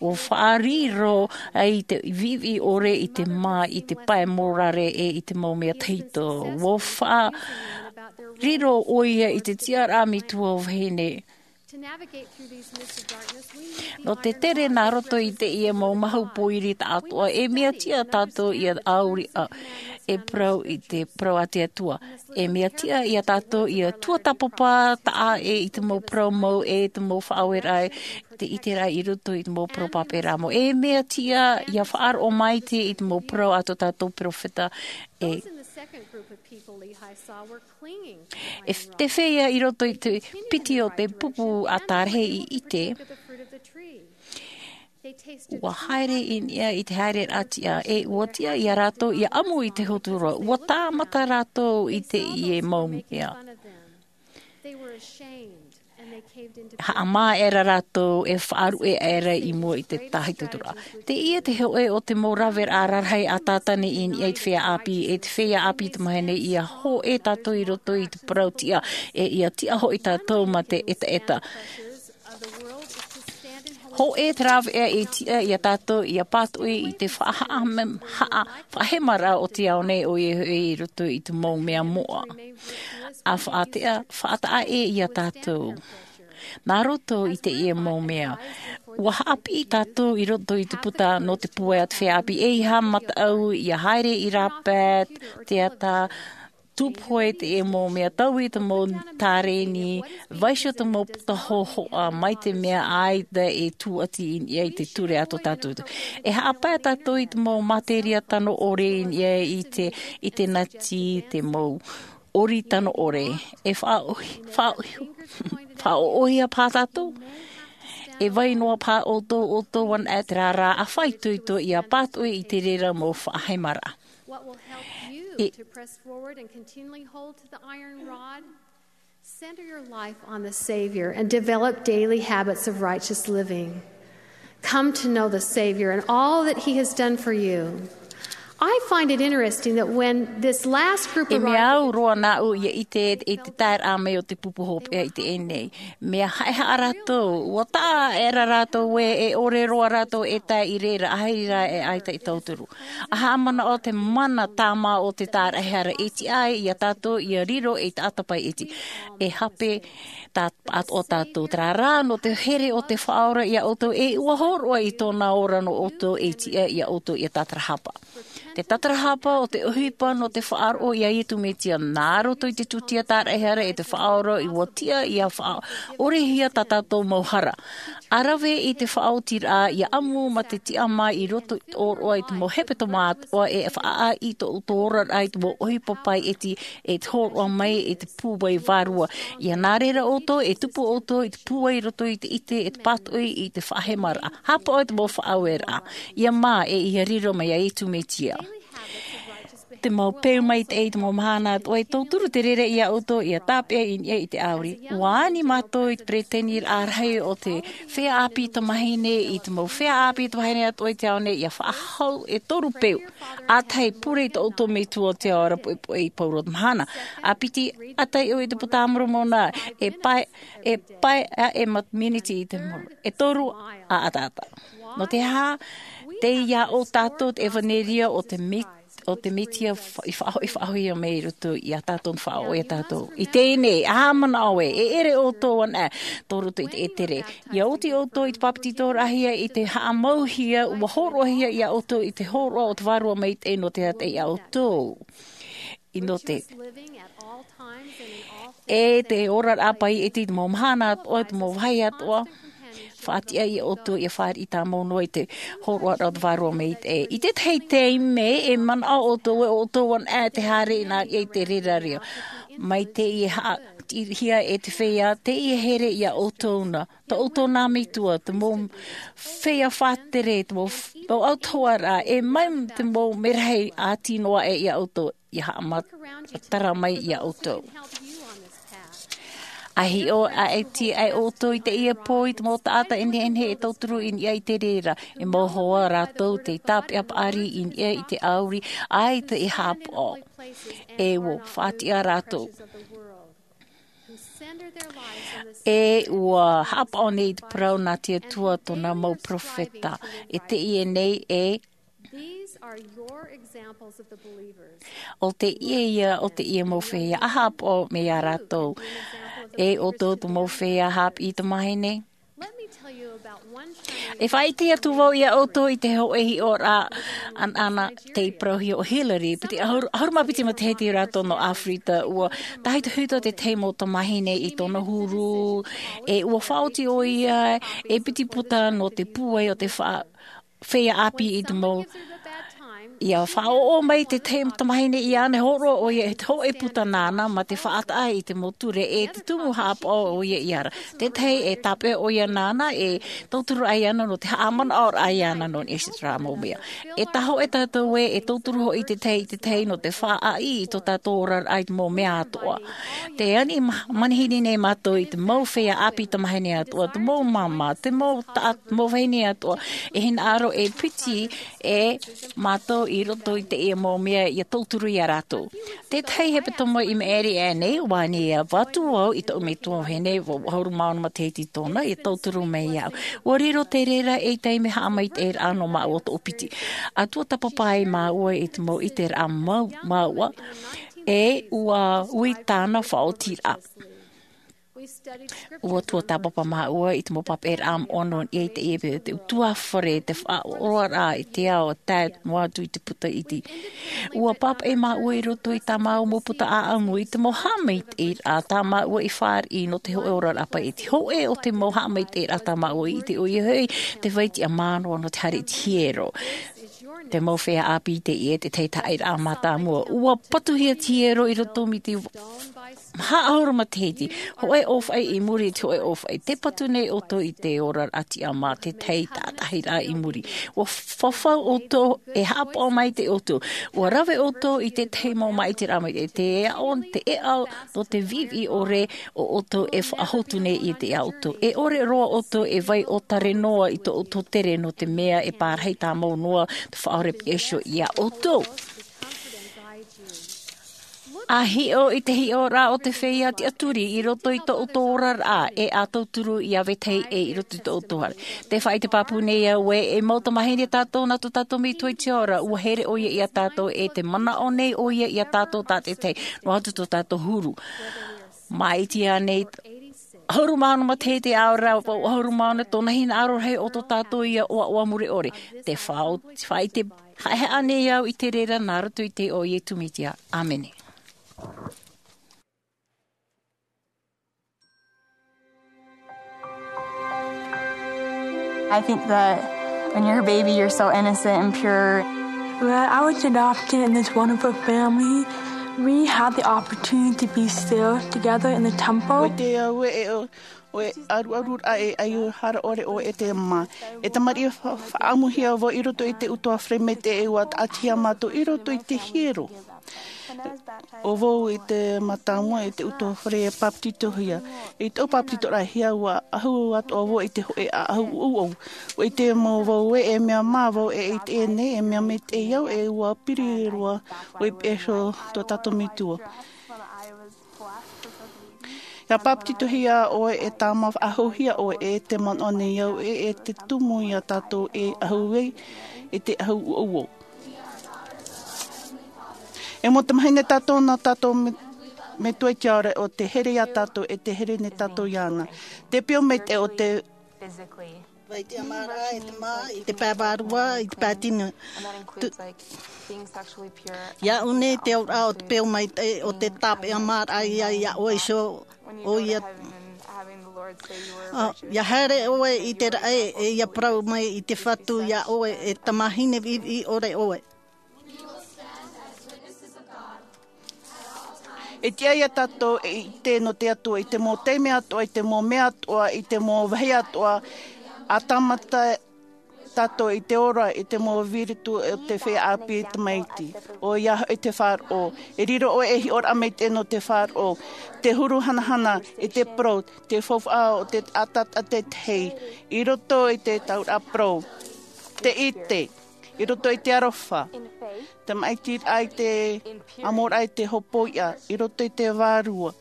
ʻUa faʻariro ai te viʻiviʻi ʻore i te mā, i te pae morare, e i te mau mea tahito. ʻUa faʻariro ʻoia i te tiʻaraʻa metua vahine. Nō te tere nā roto i teie mau mahu pōiri taʻatoʻa, e mea tiʻa tātou ia ʻāuri ʻā, e parau i te parau a te Atua. E mea tiʻa ia tātou ia tuatāpapa taʻa ʻē i te mau parau mau, e te mau faʻaueraʻa, te ʻiteraʻa i roto i te mau parau pāpēraʻa mau. E mea tiʻa ia faʻaroʻo maite i te mau parau a tō tātou peropheta, e Those in the second group of people Lehi saw were clinging to e Iron te Rod. Feiā i roto i te piti o te pupu a tārahi i ʻite, They tasted ua haere i niʻa i te haereraʻa tiʻa, e ua tiʻa ia rātou ia ʻamu i te hotu ra, ua tāmata rātou i teie mau mea. They were ashamed and they caved into Haʻamā aʻera rātou e faʻaruʻe aʻera i mua i te tāhitoraʻa. Teie te hōʻē o te mau raveraʻa rarahi a Tātane i niʻa i te feiā ʻāpī, e te feiā ʻāpī tamāhine, ia hōʻē tātou i roto i te parau tiʻa, e ia tiʻa hoʻi tātou mā te ʻetaʻeta. Hōʻē te rāveʻa e tiʻa ia tātou ia pātoʻi i te faʻahaʻa-, haʻa-, faʻahemaraʻa o te ao nei, ʻoia hoʻi i roto i te mau mea moʻa. ʻA faʻateʻa, faʻataʻa ʻē ia tātou. Nā roto i teie mau mea, ua haʻapiʻi tātou i roto i te puta nō te pūai a te feiā ʻāpī, ʻeiaha mataʻu ia haere i rāpae, teata, tūpohe teie mau mea, taui te mau tāreni, vaiiho te mau puta hōhoʻa, mai te mea ʻaita e tūʻati i niʻa i te ture a tō tātou. E haʻapae tātou i te mau materia tano ʻore i niʻa i te, i te nati, te mau ʻori tano ʻore. E faʻaʻohi-, faʻaʻohi-, faʻaʻoʻohia paha tātou? E vai noa paha ʻoutou, ʻoutou anaʻe terā rā, ʻa faʻaitoito ia pātoʻi i te reira mau faʻahemaraʻa. What will help you E- to press forward and continually hold to the iron rod? Center your life on the Savior and develop daily habits of righteous living. Come to know the Savior and all that He has done for you. I find it interesting that when this last group E mea arrived au roa nāʻu ia ʻite i te taeraʻa mai o te pupu hopeʻa i teie nei. Mea haʻehaʻa rātou, ua taʻa aʻera rātou ē, e ʻore roa rātou e tae i reira, ʻaita rā e ʻaita e tauturu. ʻA haʻamanaʻo te mana tāmā o te tāraʻehara e tiʻa ai ia tātou ia riro ei taʻata paʻi ʻeti. E hape tā-, atoʻa tātou, terā rā, nō te here o te Faʻaora ia ʻoutou, e ʻua hōroʻa i tōna ora nō ʻoutou, e tiʻa ia ʻoutou ia tātarahapa. Te tātarahapa o te ʻohipa nō te faʻaroʻo ia Iesu Mesia, nā roto i te tūtia tāraʻehara e te Faʻaora, ʻua tiʻa ia faʻaʻorehia tā tātou mau hara. ʻA rave i te faʻaotiraʻa, ia ʻamu mā te tiʻamā i roto i te ʻōroʻa i te mau hepetoma atoʻa, e faʻaʻā i tō ʻoutou oraraʻa i te mau ʻohipa paʻi ʻeti, e te hōroʻa mai i te pūai vārua. Ia nā reira ʻoutou, e tupu ʻoutou i te pūai i roto i te ʻite, e te pātoʻi i te faʻahemaraʻa. Haʻapaʻo i te mau faʻaueraʻa. Ia mā, e ia riro mai ia Iesu Mesia. Te mau peu maitaʻi i te mau mahana atoʻa, e tauturu te reira ia ʻoutou ia tāpeʻa i niʻa i te ʻauri. Ua ani mātou i te peretiteni rahi o te feiā ʻāpī tamahine i te mau feiā ʻāpī tamahine atoʻa i te ao nei ia faʻahou e toru peu. ʻA tahi, pure i tō ʻoutou metua o te ao ra poʻipoʻi i pauro te mahana. ʻA piti, ʻa taiʻo i te puta a Moromona, e pae, e pae a e mat miniti i te moro. E toru, ʻa ataata. Nō te aha? Tei ia ʻō tātou te ʻevanelia o te mit o te Mesia fa- i faʻahoʻi, faʻahoʻi mai i roto ia tātou, faʻaʻoia tātou. I teie nei, ʻa manaʻo ē, e ʻere ʻoutou ana, tō roto i te ʻētere. Ia oti ʻoutou i te papetitoraʻa hia i te haʻamauhia, ua hōroʻahia ia ʻoutou i te hōroʻa o te Vārua Maitaʻi nō te taʻata ia ʻoutou. I nō te E te oraraʻa pai e te mau mahana atoʻa, te mau vāhi atoʻa. Faʻatiʻa ia ʻoutou ia fāriʻi tāmau noa i te hōroʻa o te Vārua Maitaʻi. I tētahi taime, e manaʻo ʻoutou ē ʻoutou ana te haere i nā i te reira reo. Mai teie haʻatirihia e te feiā, teie here ia ʻoutou na. Tō ʻoutou nā metua, te mau feiā faʻatere, te mau f- mau autahuʻaraʻa, e mai te mau merahi ʻāti noa aʻe ia ʻoutou. Ia haʻamatara mai ia ʻoutou. ʻA hiʻo, ʻa e tiʻa ʻoutou i teie pō i te mau taʻata e nehenehe e tauturu i niʻa i te reira, e mau hoa rātou tei tāpeʻa paʻari i niʻa i te ʻauri, ʻaita te haʻapaʻo. E ua faʻatiʻa rātou. E ua haʻapaʻo nei i te parau nā te Atua tōna mau perofeta. E teie nei e These are your examples of the believers. ʻO teie ia, ʻo teie mau feiā ʻa haʻapaʻo mai ia rātou. E ʻoutou te mau feiā haʻapiʻi tamahine. Let me tell you about one family. E faʻaʻite atu vau ia ʻoutou i te hōʻē hiʻoraʻa anaʻana tei parauhia ʻo Hillary, piti ʻahuru, ʻahuru mā piti matahiti rātou nō Afrika, ua tahito hito te tahi mau tamahine i tōna huru, e ua faʻaoti ʻoia e piti puta nō te pūai o te fa- feiā ʻāpī i te mau. Ia faʻaʻoʻo mai te tahi tamahine iāna, hōroʻa ʻoia e te hōʻē puta nāna, mā te faʻataʻa i te mau ture e te tumu haʻapaʻo ʻoia iāna. Tētahi e tāpeʻa ʻoia nāna, e tauturu ai ana nō te haʻamanaʻoraʻa iāna nō niʻa i te rā mau mea. E tahoʻe tātou ē, e tauturu hoʻi te tahi i te tahi nō te faʻaʻī i tō tātou oraraʻa i te mau mea atoʻa. Te ani ma- manihini nei mātou i te mau feiā ʻāpī tamahine atoʻa, te mau māmā, te mau taʻata, mau vahine atoʻa, e hinaʻaro e piti e mātou i roto i teie mau mea ia tauturu ia rātou. Tētahi hepetoma i maʻiri aʻe nei, ua ani ia vatu au i tōʻu metua vahine, ua ʻahuru mā ono matahiti tōna, ia tauturu mai au. Ua riro te reira ei taime haʻamaitaʻiraʻa nō māua toʻopiti. ʻA tuatāpapa ai māua i te mau ʻiteraʻa mau, māua, e ua ui tāna faʻaotiraʻa. Ua tuatāpapa māua i te mau papaʻiraʻa moʻa nō niʻa i teie pō, te utuafare, te faʻaroaraʻa i te ao, tae noa atu i te puta iti. Ua pāpaʻi māua i roto i tā māua mau puta ʻāʻamu, i te mau haʻamaitaʻiraʻa tā māua i fāriʻi nō te hōʻē oraraʻa pai, i te hōʻē o te mau haʻamaitaʻiraʻa tā māua i ʻite ʻoia hoʻi, te vai tiʻamā noa nō te haere i te hiero. Te mau feiā ʻāpī teie, te tahi taʻairaʻa mātāmua. Ua patuhia te hiero i roto mai te haʻahuru matahiti, hōʻē ʻōfaʻi i muri i te hōʻē ʻōfaʻi. Tē patu nei ʻoutou i te oraraʻa tiʻamā, te tahi tātaʻiraʻa i muri. Ua fafau ʻoutou, e haʻapaʻo maitaʻi ʻoutou. Ua rave ʻoutou i te tahi mau māʻitiraʻa mai te, te aʻo, te ʻeʻa nō te viʻiviʻi ʻore o ʻoutou e faʻahotu nei i te ʻoutou. E ʻore roa ʻoutou e vai ʻōtare noa i tō ʻoutou tere nō te mea e pārahi tāmau noa te Faʻaora Iesu ia ʻoutou. ʻA hiʻo i te hiʻoraʻa o te feiā tiʻaturi i roto i tō ʻoutou oraraʻa, e ʻa tauturu ia vetahi ʻē i roto i tō ʻoutou haere. Tē faʻaʻite pāpū nei au ē, e mau tamāhine tātou nā tō tātou Metua i te ao ra, ua here ʻoia ia tātou, e tē manaʻo nei ʻoia ia tātou tātaʻitahi, noa atu tō tātou huru. Māʻiti ānei, ʻahuru mā ono matahiti ʻaore rā, ʻahuru mā ono, tōna hinaʻaro rahi o tō tātou ia ʻoaʻoa mure ʻore. Tē faʻa-, faʻaʻite haʻehaʻa nei au i te reira nā roto i te iʻoa o Iesu Mesia. ʻĀmene. I think that when you're a baby, you're so innocent and pure. When I was adopted in this wonderful family, we had the opportunity to be still together in the temple. ʻOia te au e, e, e ʻaruʻaru raʻa e ai o hara ʻore ʻo e te mā. E tamariʻi fa-, faʻaʻamuhia vau i roto i te utuafare maitaʻi, ua taʻatihia mātou i roto i te hiero. ʻO vau i te mātāmua i te utuafare e pāpetitohia. I tōʻu pāpetitoraʻa, ʻua ʻahu atoʻa vau i te hōʻē ʻaʻahu ʻouʻou. ʻUa ʻite mau vau ē, e mea mā vau e ʻite nei, e mea maitaʻi au, e ʻua piri roa vau i te peʻe iho o tō tātou Metua. ʻIa pāpetitohia ʻoe, e tāmā faʻaʻahuhia ʻoe, e te manaʻo nei au ē, e te tumu ia tātou e ʻahu ai i te ʻaʻahu ʻouʻou. E mau tamāhine tātou nā tō tātou Me-, Metua i te ao ra, ʻo tē here ia tātou, e tē here nei tātou iāna. Te piʻo maitaʻi o te Vai te amara e te mā, i te pae vārua, i te pae tino. Tu-, ia ʻu nei te auraʻa o te piʻo maitaʻi, ʻo te tāpeʻa maraʻa ia, ia ʻoe iho, ʻo ia. ʻĀ, ʻia haere ʻoe i te raʻi, e ʻia parau mai i te Fatu ia ʻoe, e tamāhine viʻiviʻi ʻore ʻoe. E tiʻa ia tātou e ʻite nō te Atua i te mau taime atoʻa, i te mau mea atoʻa, i te mau vāhi atoʻa, ʻa tāmata tātou i te ora, i te mau vīrutu o te feiā ʻāpī tamaiti. ʻOia hoʻi te faʻaroʻo. E riro ʻoe ei hiʻoraʻa maitaʻi nō te faʻaroʻo. Te huru hanahana, i te parau, te faufaʻa o te taʻata tētahi. I roto i te tauraʻa parau. Te ʻite. I roto i te aroha, te maʻitiraʻa, i te ʻamoraʻa, i te hopoiʻa, i roto i te vārua,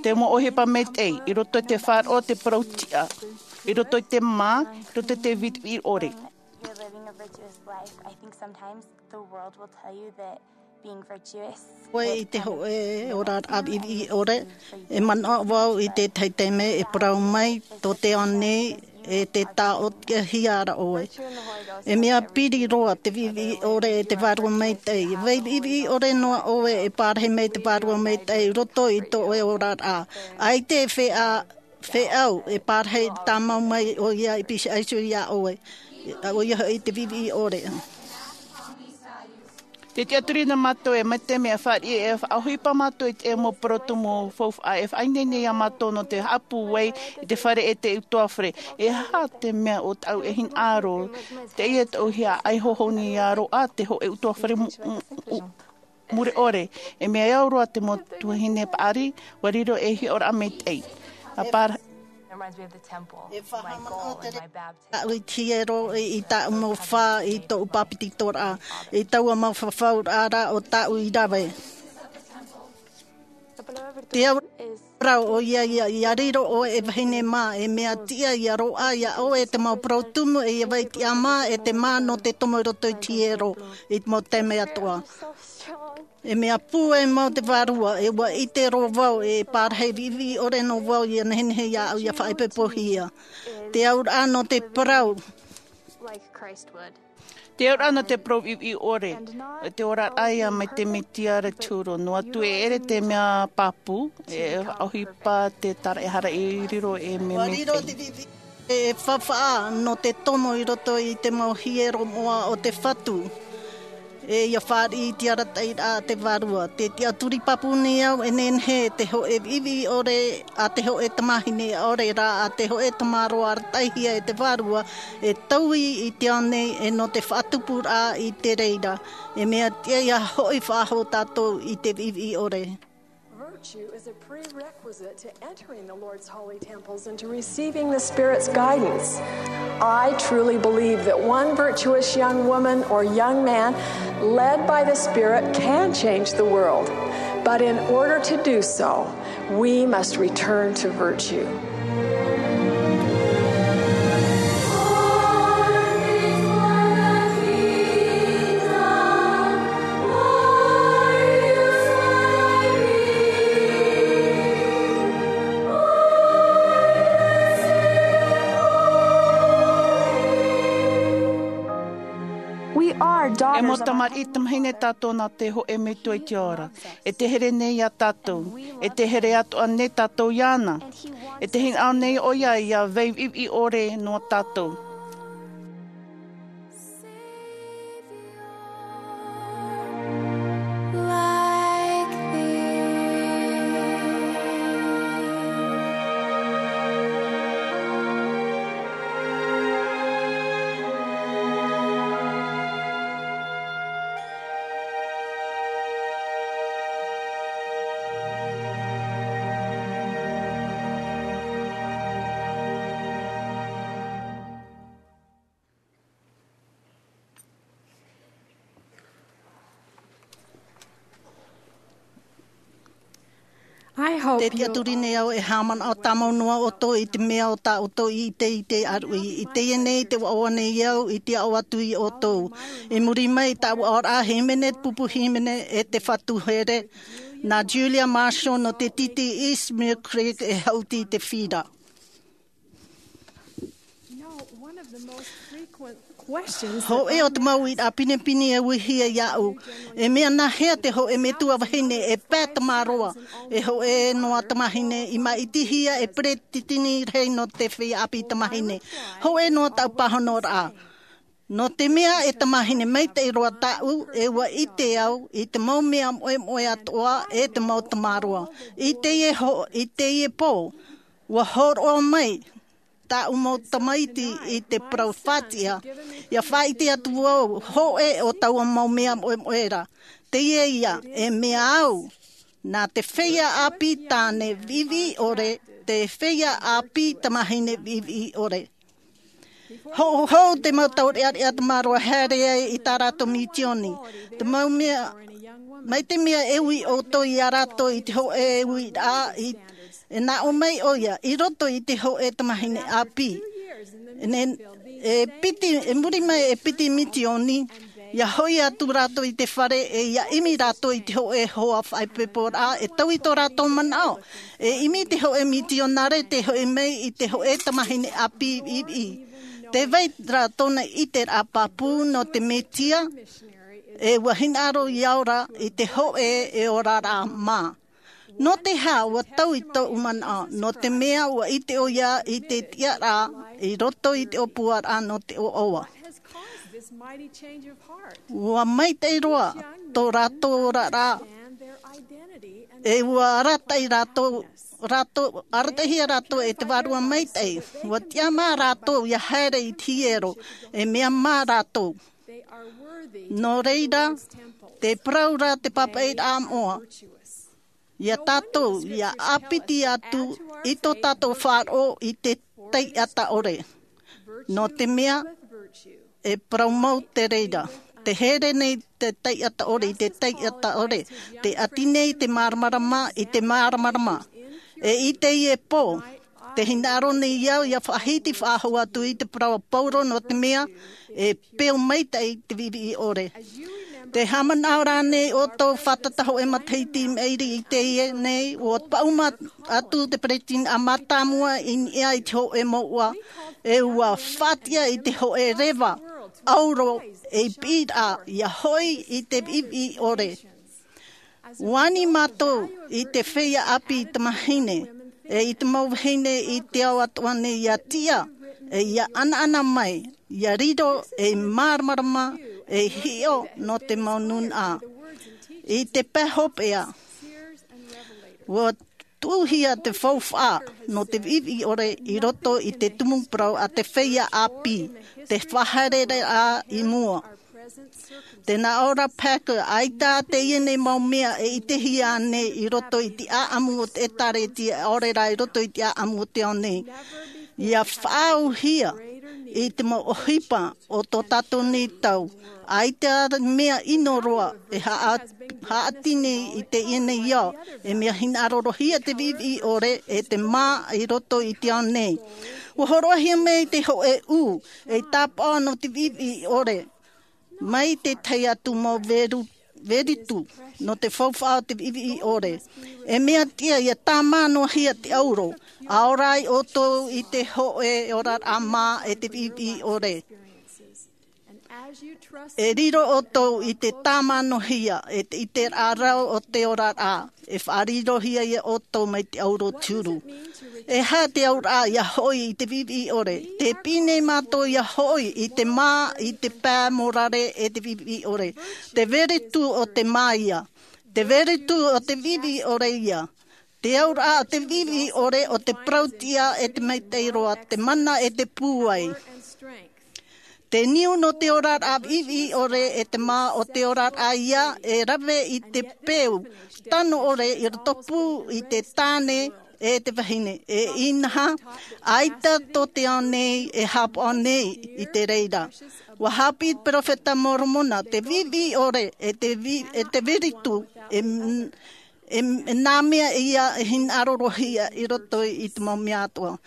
te mau ʻohipa maitaʻi, i roto i te faʻaroʻo, te parau tiʻa, i roto i te mā, i roto i te viʻiviʻi ʻore. You're living a virtuous life. I think sometimes the world will tell you that being virtuous, ʻoe i te hōʻē oraraʻa viʻiviʻi ʻore, e manaʻo vau i te tahi taime e parau mai, tō te ao nei, e te taʻotiʻahia ra ʻoe. E mea piri roa te viʻiviʻi ʻore e te Vārua Maitaʻi. Vai viʻiviʻi ʻore noa ʻoe e parahi mai te Vārua Maitaʻi i roto i tō ʻoe oraraʻa. ʻAita e feiā, feiā e parahi tāmau mai ʻoia i pīhaʻi iho ia ʻoe. ʻOia hoʻi te viʻiviʻi ʻore. Te tiʻaturi nā mātou e mai te mea fāriʻi e faʻaʻohipa mātou i te mau parau tumu faufaʻa e faʻaineine ia mātou nō te haʻapūai i te fare e te utuafare. E aha te mea ʻo tāʻu e hinaʻaro, teie tōʻu hia ʻaʻai hohoni ia roaʻa te hōʻē utuafare mu-, mu-, u-, mure ʻore. E mea au roa te mau tuahine paʻari, ʻua riro ei hiʻoraʻa maitaʻi. ʻA pāra- It reminds me of the temple, e faʻahaʻamanaʻo te reira tāʻu i te hiero i, i tāʻu mau fā i tōʻu pāpetitoraʻa, i taua mau fafauraʻa ra ʻo tāʻu i rave. Te aura ʻoia ia, ʻia riro ʻoe e vahine mā, e mea tiʻa ia roaʻa ia ʻoe te mau parau tumu, e ʻia vai tiʻa mā, e te mā nō te tomo i roto i te hiero, i te mau taime atoʻa. E mea pūai mau te Vārua, e ʻua ʻite roa vau, e parahi viʻiviʻi ʻore noa vau ʻia nehenehe iāʻu ʻia faʻaipoipohia. Te auraʻa nō te parau. Te auraʻa nō te parau viʻiviʻi ʻore. Te oraraʻa ia mai te Mesia ra te huru. Noa atu e ʻere te mea pāpū, e ʻohipa te tāraʻehara i riro ei mea maitaʻi. E faufaʻa nō te tomo i roto i te mau hiero moʻa o te Fatu. E ʻia fāriʻi i te arataʻiraʻa a te Vārua. Te tiʻaturi pāpū nei au e nehenehe te hōʻē viʻiviʻi ʻore a te hōʻē tamāhine ʻaore rā a te hōʻē tamaroa arataʻihia e te Vārua, e taui i te ao nei e nō te faʻatupuraʻa i te reira. E mea tiʻa ʻia hoʻi faʻahou tātou i te viʻiviʻi ʻore. Virtue is a prerequisite to entering the Lord's holy temples and to receiving the Spirit's guidance. I truly believe that one virtuous young woman or young man led by the Spirit can change the world. But in order to do so, we must return to virtue. We are daughters of E mau tamariʻi tamāhine tātou nā te hōʻē Metua i te ao ra. E te here nei iā tātou. E te here atoʻa nei tātou iāna. E te hinaʻaro nei ʻoia ʻia vai viʻiviʻi ʻore noa tātou. Te tiʻaturi nei au e haʻamanaʻo tāmau noa ʻoutou i te mea o tā ʻoutou i ʻite i te ʻāruʻi. I teie nei te ʻoaʻoa nei au i te aʻo atu iā ʻoutou. I muri mai i taua ʻoaʻoa hīmene, pupu hīmene e te fatu here, nā Julia Marshall nō te tītī East Mill Creek e haʻuti i te fira. Hōʻē o te mau uiraʻa pinepine e uihia iāʻu. E mea nāhea te hōʻē metua vahine e pae tamaroa, e hōʻē noa tamāhine i māʻitihia e peretiteni rahi nō te feiā ʻāpī tamāhine? Hōʻē noa taʻu pāhonoraʻa. Nō te mea e tamāhine maitaʻi roa tāʻu, e ʻua ʻite au i te mau mea moʻemoʻe atoʻa e te mau tamaroa. I teie ho-, i teie pō, ʻua hōroʻa mai tāʻu mau tamaiti i te parau faʻatiʻa, ʻia faʻaʻite atu vau hōʻē o taua mau mea moʻemoʻe ra. Teie ia, e mea au, nā te feiā ʻāpī tāne viʻiviʻi ʻore, te feiā ʻāpī tamāhine viʻiviʻi ʻore. Hou, hou te mau taureʻareʻa tamaroa haere ai i tā rātou mitioni. Te mau mea, mai te mea e ui ʻoutou iā rātou i te hōʻē uiraʻa, i, e nā ʻō mai ʻoia, i roto i te hōʻē tamāhine ʻāpī. Ne, e piti, e muri mai e piti mitioni, ʻia hoʻi atu rātou i te fare, e ʻia ʻimi rātou i te hōʻē hoa faʻaipoiporaʻa, e taui tō rātou manaʻo. E ʻimi te hōʻē mitionare, tē hoʻi mai i te hōʻē tamāhine ʻāpī viʻiviʻi. Tē vai ra tōna ʻiteraʻa pāpū nō te Mesia, e ʻua hinaʻaro ʻia ora i te hōʻē e oraraʻa mā. Nō te aha ʻua taui tōʻu manaʻo? Nō te mea ʻua ʻite ʻoia i te tiʻaraʻa i roto i te ʻōpuaraʻa nō te ʻoaʻoa. ʻUa maitaʻi roa tō rātou oraraʻa, e ʻua arataʻi rātou, rātou, arataʻihia rātou e te Vārua Maitaʻi. ʻUa tiʻa mā rātou ʻia haere i te hiero, e mea mā rātou. Nō reira, tē parau ra te pāpaʻiraʻa moʻa iā tātou, ʻia ʻāpiti atu i tō tātou faʻaroʻo i te taiʻata ʻore. Nō te mea, e parau mau te reira. Tē here nei te taiʻata ʻore i te taiʻata ʻore. Tē ʻati nei te māramarama i te māramarama. E i teie pō, tē hinaʻaro nei au ʻia faʻahiti faʻahou atu i te parau a Paulo, nō te mea, e peu maitaʻi te viʻiviʻi ʻore. Tē haʻamanaʻo ra ānei ʻoutou, fātata hōʻē matahiti i maʻiri i teie nei, ʻua paʻuma atu te peretiteni mātāmua i niʻa i te hōʻē mouʻa, e ʻua faʻatiʻa i te hōʻē reva ʻauro ei piʻiraʻa ʻia hoʻi i te viʻiviʻi ʻore. ʻUa ani mātou i te feiā ʻāpī tamāhine, e i te mau vahine i te ao atoʻa nei ʻia tiʻa, e ʻia ʻanaʻana mai, ʻia riro ei māramarama, ei hiʻo nō te mau nūnaʻa. I te pae hopeʻa, ʻua tuʻuhia te faufaʻa nō te viʻiviʻi ʻore i roto i te tumu parau a te feiā ʻāpī, te faʻahaereraʻa i mua. Tē nā ʻō ra Packer, ʻaita teie nei mau mea e ʻitehia nei i roto i te ʻāʻamu o te ʻĒtārētia, ʻaore rā i roto i te ʻāʻamu o te ao nei. ʻIa faʻaauhia i te mau ʻohipa o tō tātou nei tau. ʻAita mea ʻino roa e haʻa-, haʻati nei i teie nei ao, e mea hinaʻaro roa hia te viʻiviʻi ʻore, e te mā i roto i te ao nei. ʻUa hōroʻahia mai te hōʻē ū, ei tāpaʻo nō te viʻiviʻi ʻore. Mai te tahi atu mau veru-, veritu, nō te faufaʻa o te viʻiviʻi ʻore. E mea tiʻa ʻia tāmā noa hia te ʻauro, ʻa ora ai ʻoutou i te hōʻē oraraʻa mā e te viʻiviʻi ʻore. E riro ʻoutou i te tāmānohia, e te ʻiteraʻa rau o te oraraʻa, e faʻarirohia ia ʻoutou mai te ʻauro te huru. E aha te auraʻa ʻia hoʻi i te viʻiviʻi ʻore? Tē piʻi nei mātou ʻia hoʻi i te mā, i te pae mōrare e te viʻiviʻi ʻore. Te veritu o te mā ia. Te veritu o te viʻiviʻi ʻore ia. Te auraʻa o te viʻiviʻi ʻore o te parau tiʻa e te maitaʻi roa, te mana e te pūai. Te niu nō te oraraʻa viʻiviʻi ʻore e te mā o te oraraʻa ia e rave i te peu tano ʻore i rotopū i te tāne e te vahine. E inaha, ʻaita tō te ao nei e haʻapaʻo nei i te reira. ʻUa haʻapiʻi te peropheta Moromona, te viʻiviʻi ʻore e te vi-, e te veritu e m-, E, e nā mea ia e hinaʻaro roa hia i roto i te mau mea atoʻa.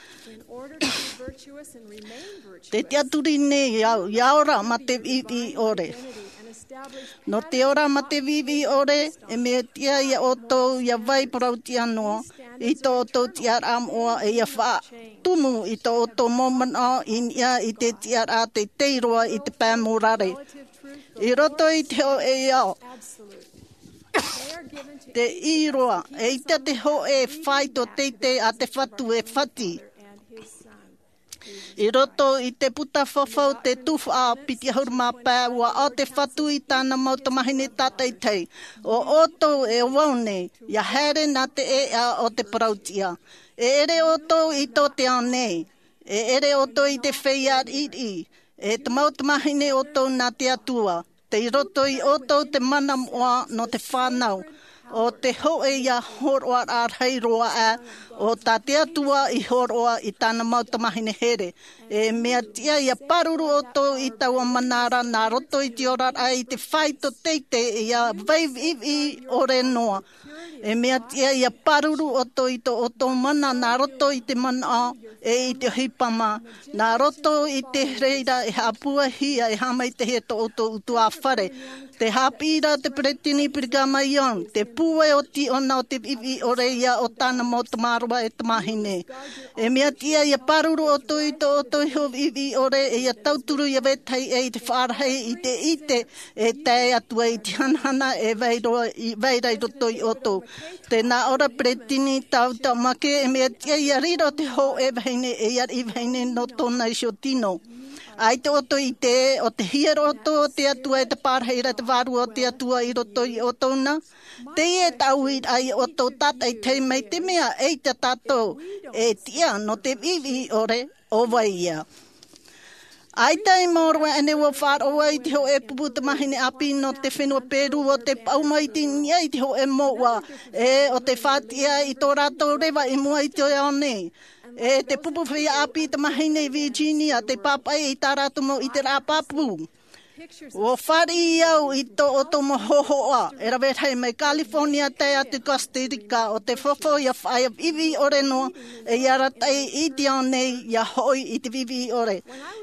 Te tiʻaturi nei au, ia ora mā te viʻiviʻi ʻore. Nō te ora mā te viʻiviʻi ʻore, e mea tiʻa ia ʻoutou ia vai parauʻtiʻa noa i tō ʻoutou tiʻaraʻa moʻa, e ia faʻatumu i tō ʻoutou mau manaʻo i niʻa i te tiʻaraʻa teitei roa i te pae mōrare. I roto i te hōʻē ao, te ʻī roa, eʻita te hōʻē faito teitei a te Fatu e fati. I roto i te puta fafau te tuhaʻa piti ʻahuru mā pae, ua ʻao te Fatu i tāna mau tamāhine tātaʻitahi. ʻO ʻoutou e vau nei, ia haere nā te ʻēʻa o te parauʻtiʻa. E ʻere ʻoutou i tō te ao nei, e ʻere ʻoutou i te feiā riʻiriʻi, e te mau tamāhine ʻoutou nā te Atua. Tei roto ia ʻoutou te mana moʻa nō te fānau, ʻo te hōʻē ia hōroʻaraʻa rahi roa aʻe, ʻo tā te Atua i hōroʻa i tāna mau tamāhine here. E mea tiʻa ia pāruru ʻoutou i taua mana ra nā roto i te oraraʻa i te faito teitei ia vai viʻiviʻi ʻore noa. E mea tiʻa ia pāruru ʻoutou i tō ʻoutou mana nā roto i te manaʻo e i te ʻohipa mā, nā roto i te reira e haʻapūaihia, e haʻamaitaʻihia tō ʻoutou ʻutuāfare. Te haʻapiʻiraʻa a te Peresideni Brigham Young, te pūai oti ʻōna o te viʻiviʻi ʻore ia o tāna mau tamaroa e tamāhine. E mea tiʻa ia pāruru ʻoutou i tō ʻoutou iho viʻiviʻi ʻore, e ia tauturu ia vetahi ʻē i te faʻarahi i te ʻite e tae atu ai i te hanahana e vai roa i, vai ra i roto ia ʻoutou. Tē nā ʻō ra Peresideni Tau Tamake, e mea tiʻa ia riro te hōʻē vahine e ia ariʻi vahine nō tōna iho tino. ʻAita ʻoutou i ʻite ē, ʻo te hiero ʻoutou o te Atua, e te pārahiraʻa e te Vārua o te Atua i roto ia ʻoutou na. Teie tāʻuiraʻa ia ʻoutou tātaʻitahi, mai te mea eʻita tātou e tiʻa nō te viʻiviʻi ʻore, ʻo vai ia? ʻAita i maoro aʻe nei ʻua faʻaroʻo i te hōʻē pupu tamāhine ʻāpī nō te fenua Perū, ʻo tē paʻuma i niʻa i te hōʻē mouʻa, e ʻo tē faʻatiʻa i tō rātou reva i mua i te ao nei. E te pupu feiā ʻāpī tamāhine i Virginia, tei pāpaʻi i tā rātou mau ʻiteraʻa pāpū. ʻUa fāriʻi au i tō ʻoutou mau hōhoʻa, e rave rahi mai California tae atu Costa Rica, ʻo te fafau ia faʻaea viʻiviʻi ʻore noa, e ia arataʻi i te ao nei, ia hoʻi i te viʻiviʻi ʻore.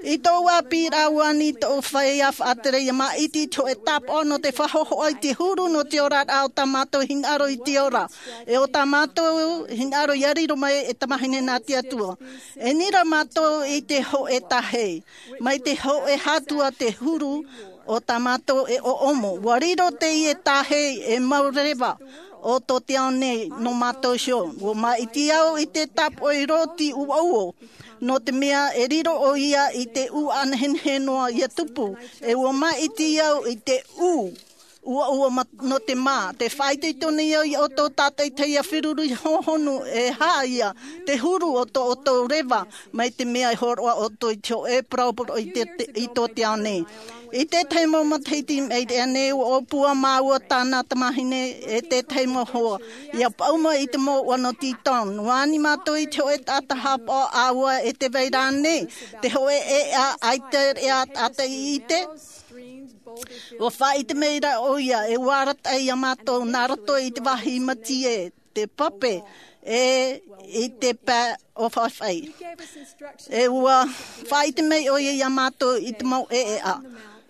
I tōʻu ʻāpīraʻa ʻua ani tōʻu feiā faʻatere ia māʻiti i te hōʻē tāpaʻo nō te faʻahōhoʻa i te huru nō te oraraʻa o tā mātou hinaʻaro i te ora, e o tā mātou hinaʻaro ia riro mai e tamāhine nā te Atua. E nira mātou i te hōʻē tāhei, mai te hōʻē hātua te huru o tā mātou e ʻoʻomo. ʻUa riro teie tāhei ei mau reva o tō te ao nei nō mātou iho. ʻUa māʻiti au i te tāpaʻo i Loti Uouo, nō te mea e riro ʻoia i te ʻū ʻānehenehe noa ia tupu, e ʻua māʻiti au i te ʻū uaua ma-, nō te mā. Tē faʻaitoito nei au ia ʻoutou tātaʻitahi ia feruri hōhonu e aha ia te huru o tō ʻoutou reva, mai te mea e hōroʻa ʻoutou i te hōʻē parau i te, te, i tō te ao nei. I te tahi mau matahiti i maʻiri aʻe nei, ʻua ʻōpua māua tāna tamāhine e te tahi mau hoa, ia paʻuma i te mouʻa nō Teton. ʻUa ani mātou i te hōʻē taʻata haʻapaʻo ʻāua e tē vai ra nei te hōʻē ʻēʻa ʻaita e taʻata i ʻite. ʻUa faʻaʻite mai ra ʻoia, e ʻua arataʻi ia mātou nā roto i te vāhi mātie, te pape, e i te pae ʻōfaʻi. E ʻua faʻaʻite mai ʻoia ia mātou i te mau ʻēʻa,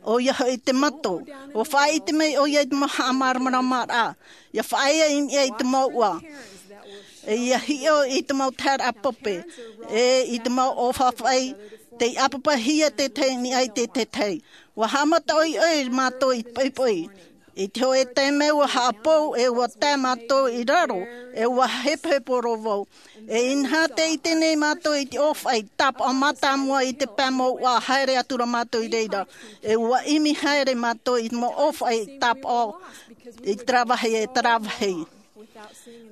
ʻoia hoʻi te mato. ʻUa faʻaʻite mai ʻoia i te mau haʻamāramaramaraʻa, ia faʻaea i niʻa i te mouʻa, e ia hiʻo i te mau taeraʻa pape, e i te mau ʻōfaʻi, tei ʻāpapahia te tētahi i niʻa i te tētahi. ʻUa haʻamata ʻoiʻoi mātou i te poʻipoʻi. I te hōʻē taime ʻua haʻapou, e ʻua tae mātou i raro, e ʻua hepohepo roa vau. E inaha tē ʻite nei mātou i te ʻōfaʻi tāpaʻo mātāmua i te pae mouʻa, haere atu ra mātou i reira. E ʻua ʻimi haere mātou i te mau ʻōfaʻi tāpaʻo i terā vāhi e terā vāhi.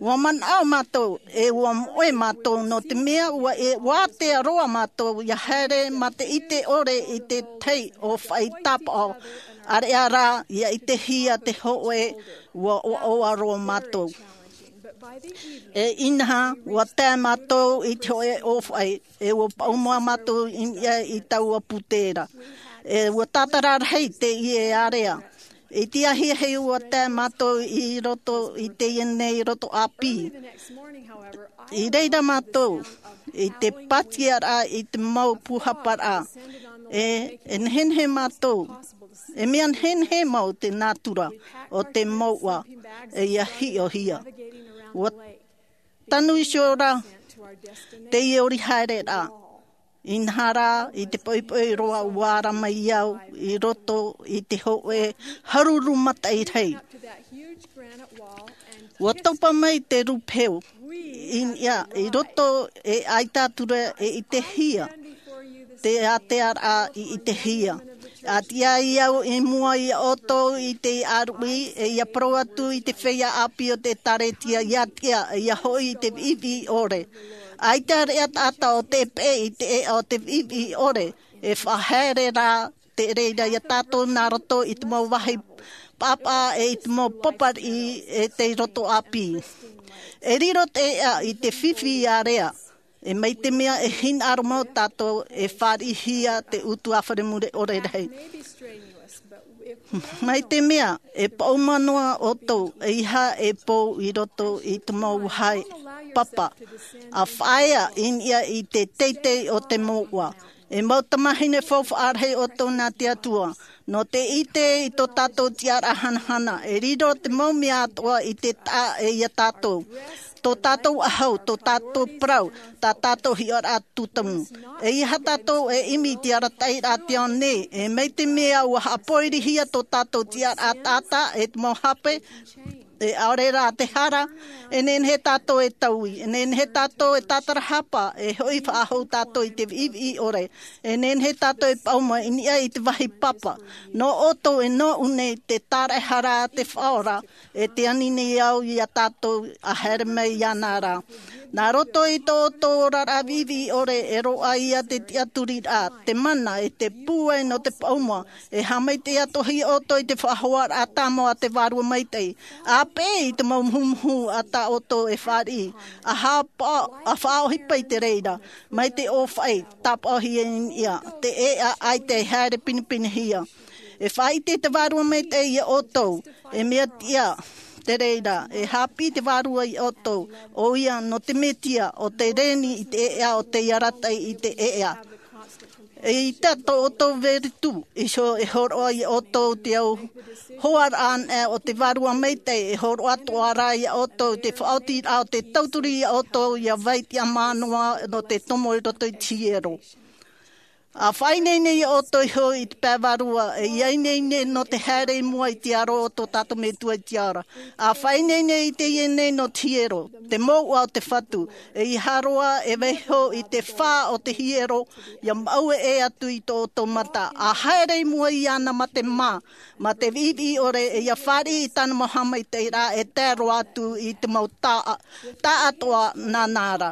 ʻUa manaʻo mātou, e ʻua moʻe mātou, nō te mea ʻua e, ʻua ātea roa mātou ia haere mā te ʻite ʻore i te tahi ʻōfaʻi tāpaʻo, ʻāreʻa rā ia ʻitehia te hōʻē, ʻua ʻoaʻoa roa mātou. E inaha, ʻua tae mātou i te hōʻē ʻōfaʻi, e ʻua paʻuma mātou i niʻa i taua pūtē ra. E ʻua tātara rahi teie ārea. I te ahiahi ua tae mātou i roto i teie nei roto ʻāpī. I reira mātou i te pātiaraʻa i te mau pūhaparaʻa. E e nehenehe mātou, e mea nehenehe mau te nātura o te mouʻa e ia hiʻohia. Ua tanu iho ra teie ori haereraʻa. Inaha rā, i te poʻipoʻi roa ua ara mai au i roto i te hōʻē haruru mataʻi rahi. Ua topa mai te rūpehu i niʻa i roto, e ʻaita atu ra e ʻitehia te ātearaʻa i ʻitehia. A tiʻa ai au i mua iā ʻoutou i te ʻāruʻi, e ia parau atu i te feiā ʻāpī o te ʻēkālesia, ia tiʻa, ia hoʻi i te viʻiviʻi ʻore. ʻAita reʻa taʻata o te peʻe i te ʻēʻa o te viʻiviʻi ʻore, e faʻahaere rā te reira iā tātou nā roto i te mau vāhi pāpaʻa e i te mau pāpariʻi e tei roto ʻāpī. E riro te ʻēʻa i te fifi area, e mai te mea e hinaʻaro mau tātou e fāriʻihia te utuafare mure ʻore rahi. Mai te mea e paʻuma noa ʻoutou, e ʻeiaha e pou i roto i te mau vāhi papa, a faʻaea i niʻa i te teitei o te mouʻa. E mau tamāhine faufaʻa rahi ʻoutou nā te Atua, nō te ʻite i tō tātou tiʻaraʻa hanahana, e riro te mau mea atoʻa i te taʻa e iā tātou. Tō tātou ʻahu, tō tātou parau, tā tātou hiʻoraʻa tūtamu. E ʻeiaha tātou e ʻimi i te arataʻiraʻa a te ao nei, e mai te mea ua haʻapoirihia tō tātou tiʻaraʻa taʻata e te mau hape, e ʻaore rā te hara, e nehenehe tātou e taui, e nehenehe tātou e tātarahapa, e hoʻi faʻahou tātou i te viʻiviʻi ʻore, e nehenehe tātou e paʻuma i niʻa i te vāhi papa. Nō ʻoutou e nōʻu nei te tāraʻehara a te Faʻaora, e te ani nei au iā tātou a haere mai iāna ra. Nā roto i tō ʻoutou oraraʻa viʻiviʻi ʻore e roaʻa ia te tiʻaturiraʻa, te mana, e te pūai nō te paʻuma, e haʻamaitaʻi atoʻa ʻoutou i te faʻahoaraʻa tāmau a te Vārua Maitaʻi. A peʻe i te mau muhumuhu a tā ʻoutou e fāriʻi, a haʻapa-, a faʻaʻohipa i te reira, mai te ʻōfaʻi, tāpaʻohia i niʻa, te ʻēʻa ʻaita e haere pinepinehia. E faʻaʻite te Vārua Maitaʻi iā ʻoutou, e mea tiʻa te reira, e haʻapiʻi te Vārua iā ʻoutou, ʻoia nō te Mesia, ʻo te reni i te ʻēʻa, ʻo te arataʻi i te ʻēʻa. E ʻita tō ʻoutou veretū, iho e hōroʻa iā ʻoutou te au hoaraʻa anaʻe o te Vārua Maitaʻi, e hōroʻa atoʻa rā iā ʻoutou te faʻaotiraʻa o te tauturu iā ʻoutou, ʻia vai tiʻamā noa nō te tomo i roto i te hiero. A faʻaineine iā ʻoutou iho i te pae vārua, e ʻia ineine nō te haere i mua i te aro o tō tātou Metua i te ao ra. A faʻaineine i teie nei nō te hiero, te mouʻa o te Fatu, e ʻeiaha roa e vaiiho i te fā o te hiero, ʻia maʻue ʻē atu i tō ʻoutou mata. A haere i mua iāna mā te mā, mā te viʻiviʻi ʻore, e ʻia fāriʻi i tāna mau haʻamaitaʻiraʻa e tae roa atu i te mau tā-, taʻatoʻa nāna ra.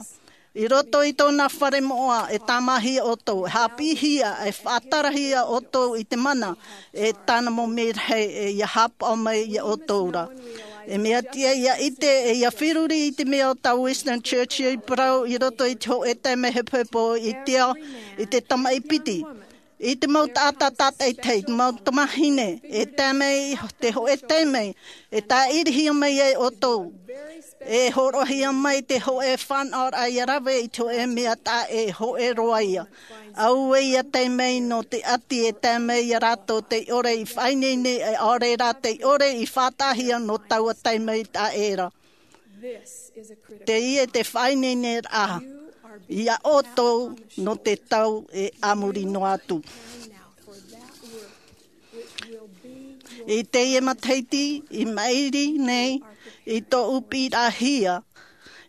I roto i tōna fare moʻa e tāmāhia ʻoutou, e haʻapiʻihia, e faʻatarahia ʻoutou i te mana, e tāna mau merahi e ʻia haʻapaʻo mai iā ʻoutou ra. E mea tiʻa ʻia ʻite, e ʻia feruri i te mea o tā Winston Churchill i parau i roto i te hōʻē taime hepohepo i te ao, i te tamaʻi piti. I te mau taʻata tātaʻitahi, te mau tamāhine, e tae mai te hōʻē taime, e tāʻirihia mai ai ʻoutou. E hōroʻahia mai te hōʻē fānaʻoraʻa ʻia rave i te hōʻē mea taʻa ʻē, hōʻē roa ia. Auē ʻia tae mai nō te ʻati e tae mai iā rātou tei ʻore i faʻaineine, e ʻaore rā tei ʻore i faʻataʻahia nō taua taime taʻa ʻē ra. Teie te faʻaineineraʻa iā ʻoutou nō te tau e a muri noa atu. I teie matahiti, i maʻiri nei, i tōʻu piʻiraʻahia,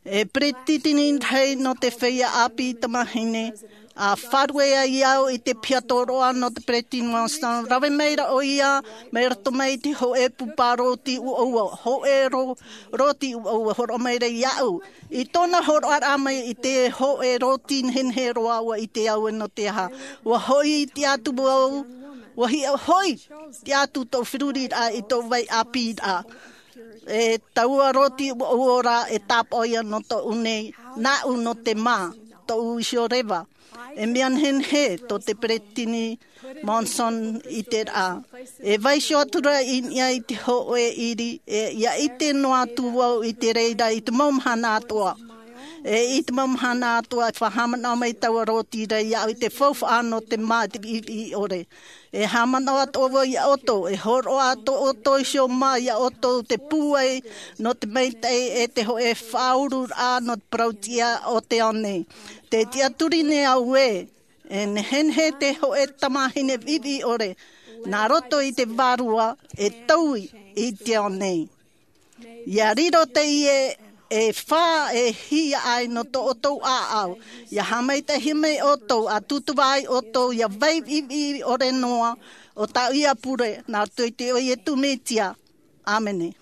e peretiteni rahi nō te feiā ʻāpī tamāhine, a fārue ai au i te piha tōroʻa nō te Peretiteni Monson, rave maira ʻoia, mai roto mai i te hōʻē pupa rōti ʻuʻua, hōʻē rō-, rōti ʻuʻua, hōroʻa maira iāʻu. I tōna hōroʻaraʻa mai i te hōʻē rōti nehenehe roa, ʻua ʻite au e nō te aha. ʻUa hoʻi tiʻa atu au, ʻua hiʻo hoʻi tiʻa atu tōʻu feruriraʻa i tōʻu vai ʻāpīraʻa. E taua rōti ʻuʻua ra e tāpaʻo ia nō tōʻu nei, nāʻu nō te mā, tōʻu iho reva. E mea nehenehe tō te peresideni Monson i te rā. E vaiiho atu ra i niʻa i te hōʻē ʻiri, e, ʻia ʻite noa atu vau i te reira i te mau mahana atoʻa. E, i te mau mahana atoʻa, e faʻahaʻamanaʻo mai taua rōti ra iāʻu i te faufaʻa nō te māʻa i te viʻiviʻi ʻore. E haʻamanaʻo atoʻa vau iā ʻoutou, e hōroʻa atoʻa ʻoutou iho mā iā ʻoutou te pūai nō te maitaʻi e te hōʻē faʻaururaʻa nō te parau-tiʻa o te ao nei. Tē tiʻaturi nei au ē, e nehenehe te hōʻē tamāhine viʻiviʻi ʻore, nā roto i te Vārua e taui i te ao nei. ʻIa riro teie e fā e hiaʻai nō tō ʻoutou ʻāʻau, ʻia haʻamaitaʻihia mai ʻoutou, ʻa tūtava ai ʻoutou ʻia vai viʻiviʻi ʻore noa, ʻo tāʻu ia pure, nā roto i te iʻoa o Iesu Mesia. ʻĀmene.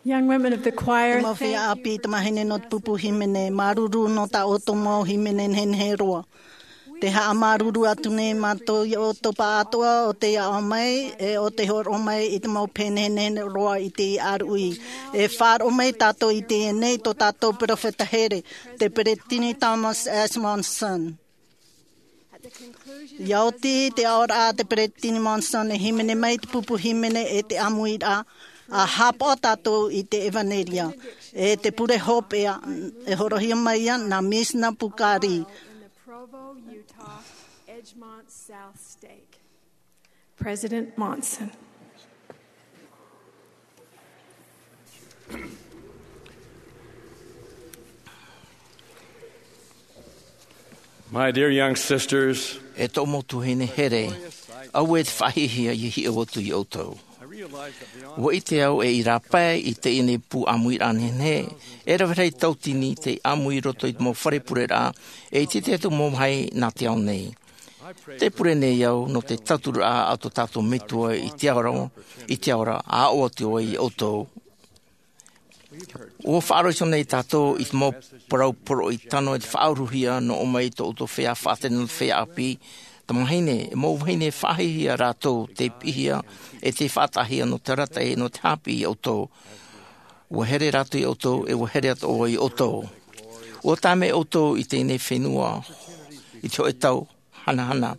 Young women of the choir, te mau feiā ʻāpī, tamāhine nō te pupu hīmene, māuruuru nō tā ʻoutou mau hīmene nehenehe roa. Te haʻamāuruuru atu nei mātou i ō tō pāʻatoʻa o te aʻo mai e o te hōroʻa mai i te mau pēnēnē roa i te aruʻi. E faʻaroʻo mai tātou i teie nei tō tātou peropheta here, te peresideni Thomas S Monson. Ia oti te aʻoraʻa a te peresideni Monson, e hīmene mai te pupu hīmene e te ʻāmuiraʻa, a hāpaʻo tātou i te ʻevanelia e te pure hopeʻa, e horohia mai ia nā Misina Pukari. President Monson. My dear young sisters, e tōʻu mau tuahine here, auē te faʻahiahia i hiʻo atu iā ʻoutou. Ua ʻite au e i rāpae i teie nei pū ʻāmuiraʻa nehenehe, e rave rahi tautini te ʻāmui i roto i te mau fare pureraʻa, e i te tahi atu mau vāhi nā te ao nei. Te pure nei au nō te tauturu a tō tātou Metua i te ao ra, i te ao ra, a ʻoaʻoa atu ai iā ʻoutou. Ua faʻaroʻo nei tātou i te mau parau poroʻi tano e te faʻauruhia nō ʻō mai tō ʻoutou feiā faʻatere nō te feiā ʻāpī, tamahine, e mau vahine faʻahiahia rātou te piʻihia e te faʻataʻahia nō te arataʻi nō te haʻapiʻi iā ʻoutou. Ua here rātou iā ʻoutou, e ua here atoʻa vau iā ʻoutou. Ua tāmau ʻoutou i teie nei fenua, i te hōʻē tau hanahana.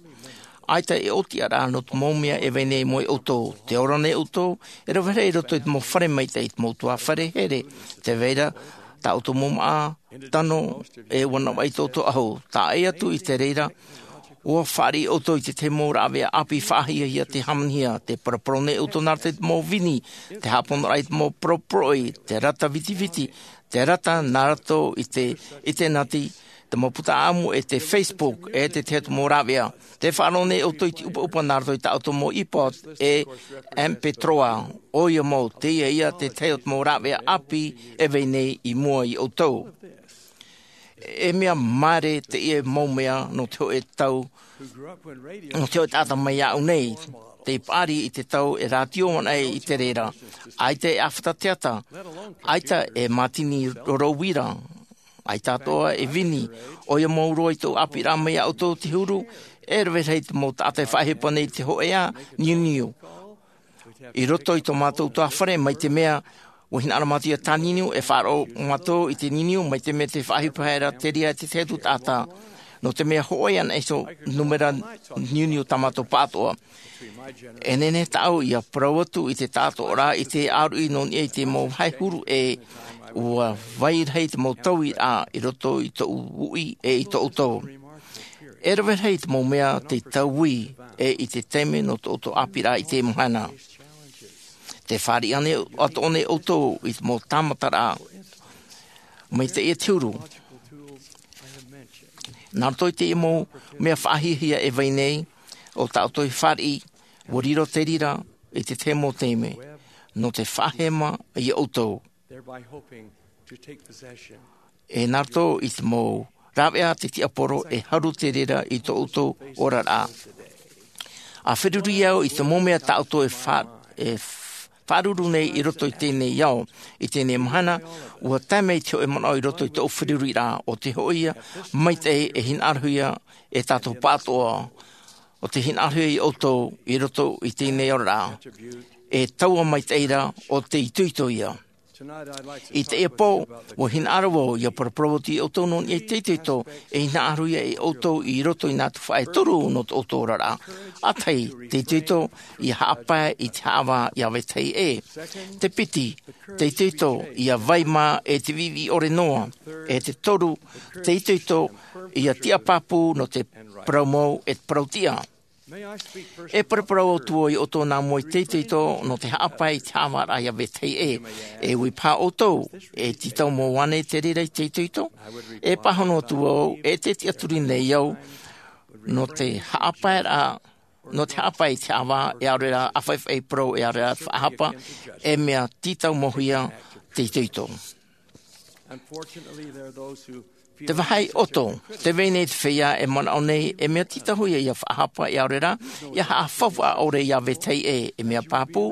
ʻAita e ʻōtiʻaraʻa nō te mau mea e vai nei i mua iā ʻoutou. Tē ora nei ʻoutou, e rave rahi i roto i te mau fare maitaʻi, i te mau ʻutuāfare here, tē vai ra tā ʻoutou mau māʻa tano, e ua navaʻi tō ʻoutou ʻahu. Taʻa ʻē atu i te reira, ua fāriʻi ʻoutou i te tahi mau rāveʻa ʻāpī faʻahiahia tē hāmanihia, tē paraparau nei ʻoutou nā roto i te mau vini, te haʻaponoraʻa i te mau parau poroʻi, te rata vitiviti, te rata nā roto i te ʻinitēneti, te mau puta ʻāʻamu e te Facebook, e te tahi atu mau rāveʻa. Tē faʻaroʻo nei ʻoutou i te ʻupaʻupa nā roto i tā ʻoutou mau iPod e MP trois, ʻoia mau, teie ia te tahi atu mau rāveʻa ʻāpī e vai nei i mua iā ʻoutou. E mea māere teie mau mea nō te hōʻē tau, nō te hōʻē taʻata mai iāʻu nei, tei paʻari i te tau e rātio ana ai i te reira, ʻaita e ʻāfata teata, ʻaita e mātini roro uira, ʻaita atoʻa e vini, ʻoia mau roa i tōʻu ʻāpīraʻa mai iā ʻoutou te huru, e rave rahi te mau taʻata e faʻaʻohipa nei i te hōʻē niuniu. I roto i tō mātou ʻutuāfare, mai te mea, ua hinaʻaro mātou ʻia tāniuniu, e faʻaroʻo mātou i te niuniu, mai te mea tē faʻaʻohipa ra te reira e te tahi atu taʻata. Nō te mea hōʻē ana iho nūmera niuniu tā mātou pāʻatoʻa. E nehenehe tāʻu ʻia parau atu i te tāʻatoʻaraʻa i te ʻāruʻi nō niʻa i te mau vāhi huru ʻē, ua vai rahi te mau tauiraʻa i roto i tōʻu uʻi e i tōʻu tau. E rave rahi te mau mea tei taui, e i te taime nō tō ʻoutou ʻāpīraʻa i teie mahana. Tē fāriʻi atoʻa nei ʻoutou i te mau tāmataraʻa mai teie te huru. Nā roto i teie mau mea faʻahiahia e vai nei, ʻo tā ʻoutou e fāriʻi, ua riro te reira i te tahi mau taime, nō te faʻahema iā ʻoutou. E nā roto i te mau rāveʻa a te tiaporo e haru te reira i tō ʻoutou oraraʻa. ʻA feruri au i te mau mea tā ʻoutou e fa-, e f-, faʻaruru nei i roto i teie nei ao, i teie nei mahana, ua tae mai te hōʻē manaʻo i roto i tōʻu feruriraʻa, ʻo te hōʻē ia maitaʻi e hinaʻarohia e tātou pāʻatoʻa, ʻo te hinaʻarohia iā ʻoutou i roto i teie nei oraraʻa, e taua maitaʻi ra ʻo te itoito ia. I teie pō, ua hinaʻaro vau ʻia paraparau atu iā ʻoutou nō niʻa i te itoito, e hinaʻarohia e ʻoutou i roto i nā tuhaʻa e toru nō tō ʻoutou oraraʻa. ʻA tahi, te itoito ʻia haʻapae i te haʻavā ʻia vetahi ʻē. Te piti, te itoito ʻia vai mā e te viʻiviʻi ʻore noa. E te toru, te itoito ʻia tiʻa pāpū nō te parau mau e te parau tiʻa. E paraparau atu vau iā ʻoutou nā mua i te itoito nō te haʻapae i te haʻavāraʻa ʻia vetahi ʻē. E ui paha ʻoutou, e tītau mau ānei te reira i te itoito? E pāhono atu vau, e te tiʻaturi nei au, nō te haʻapaeraʻa, nō te haʻapae i te haʻavā, e ʻaore rā ʻāfaʻifaʻi parau, e ʻaore rā faʻahapa, e mea tītau mau hia te itoito. Te vāhi ʻoto, tē vai nei te feiā e manaʻo nei, e mea tītauhia ʻia faʻahapa, e ʻaore rā, ʻia haʻafaufaʻa ʻore ʻia vetahi ʻē, e mea pāpū,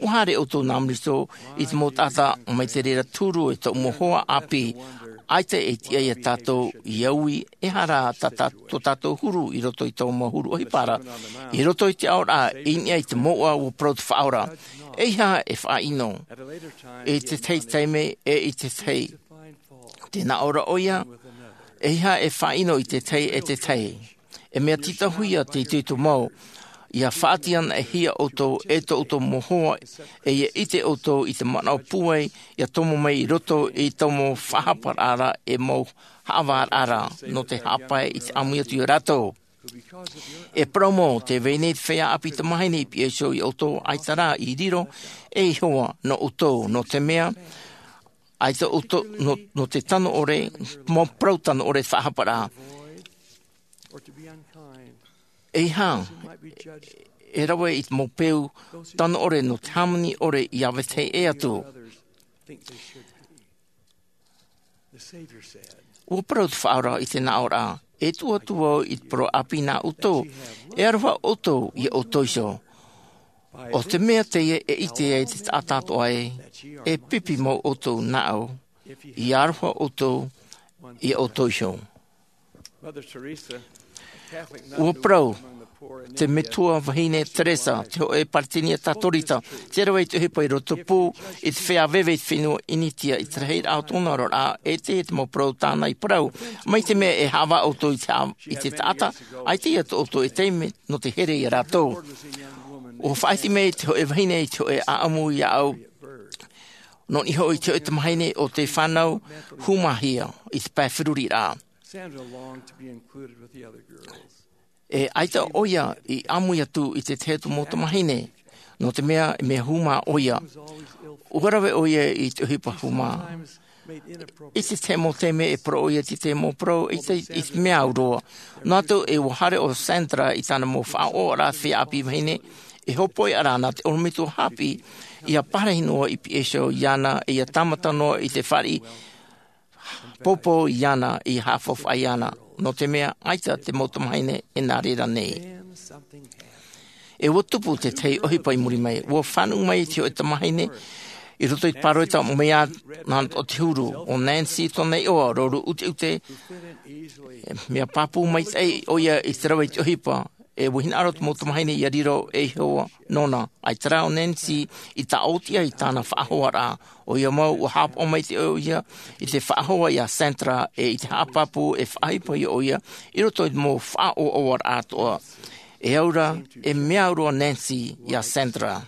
ua haere ʻoutou nā muri iho i te mau taʻata mai te reira te huru e tōʻu mau hoa ʻāpī. ʻAita e tiʻa ia tātou ia ui, e aha rā tā, tā, tō tātou huru i roto i tō mau huru ʻohipa ra, i roto i te aoraʻa, i niʻa i te mouʻa ʻua parau te Faʻaora. ʻEiaha e faʻaʻino, i te tahi taime e i te tahi. Tē nā ʻō ra ʻoia, ʻeiaha e faʻaʻino i te tahi e te tahi. E mea tītauhia te itoito mau, ʻia faʻatiʻahia ʻoutou e tō ʻoutou mau hoa, e ʻia ʻite ʻoutou i te manaʻo pūai, ʻia tomo mai i roto i tō mau faʻahaparaʻa ra, e mau haʻavāraʻa ra, nō te haʻapae i te ʻāmui atu ia rātou. E parau mau, tē vai nei te feiā ʻāpī tamāhine i piha iho ia ʻoutou, ʻaita rā i riro ei hoa nō ʻoutou, nō te mea, ʻaita ʻoutou, nō, nō te tano ʻore, mau parau tano ʻore faʻahaparaʻa. ʻEiaha e rave i te mau peu tano ʻore nō te hāmani ʻore ia vetahi atu. ʻUa parau te Faʻaora i te nā ʻō ra, e tuʻu atu vau i te parau ʻāpī nā ʻoutou, e aroha ʻoutou ia ʻoutou iho. ʻO te mea teie e ʻite ai te taʻata atoʻa ē, e pipi mau ʻoutou nāʻu, ia aroha ʻoutou ia ʻoutou iho. ʻUa parau te metua vahine Teresa, te hōʻē Peresideni Katorika, tē rave i te ʻohipa i roto pū i te feiā veve i te fenua Initia, i te rahiraʻa o tōna oraraʻa, e te, te mau parau tāna i parau, mai te mea e haʻavā ʻoutou i te ha-, i te taʻata, ʻaita ia tō ʻoutou e taime nō te here ia rātou. ʻUa faʻahiti mai te hōʻē vahine i te hōʻē ʻāʻamu iāʻu, nō niʻa hoʻi i te hōʻē tamāhine ʻo tē fānau hūmāhia i te pae feruriraʻa. Sandra longed to be included with the other girls. E ʻaita ʻoia i ʻāmui atu i te tahi atu mau tamāhine, nō te mea, mea hūmā ʻoia. ʻUa rave ʻoia i te ʻohipa hūmā. I te tahi mau taime e parau ʻoia i te tahi mau parau, i te, i te mea au roa. Noa atu e ʻua haere ʻo Sandra i tāna mau faʻaʻoʻaraʻa feiā ʻāpī vahine, e hōpoiʻa ra nā te ʻorometua haʻapiʻi, ʻia pārahi noa i piha iho iāna, e ʻia tāmata noa i te fāriʻi, poupou iāna, ʻia haʻafaufaʻa iāna, nō te mea ʻaita te mau tamāhine e nā reira nei. E ʻua tupu te tahi ʻohipa i muri mai, ʻua fānaʻo mai te hōʻē tamāhine i roto i te pāroita mai iāna o te huru, ʻo Nancy tōna iʻoa, roro ʻuteʻute, mea pāpū maitaʻi ʻoia i te rave i te ʻohipa, e ʻua hinaʻaro te mau tamāhine ʻia riro ei hoa nōna. ʻAita rā ʻo Nancy i tāʻōtiʻa i tāna faʻahoaraʻa. ʻOia mau, ʻua haʻapaʻo maitaʻi ʻoia i te faʻahoa iā Sandra, e i te haʻapāpū e faʻaʻohipa iho ʻoia i roto i te mau faʻaʻoaʻoaraʻa atoʻa. E au ra, e mea au roa Nancy iā Sandra.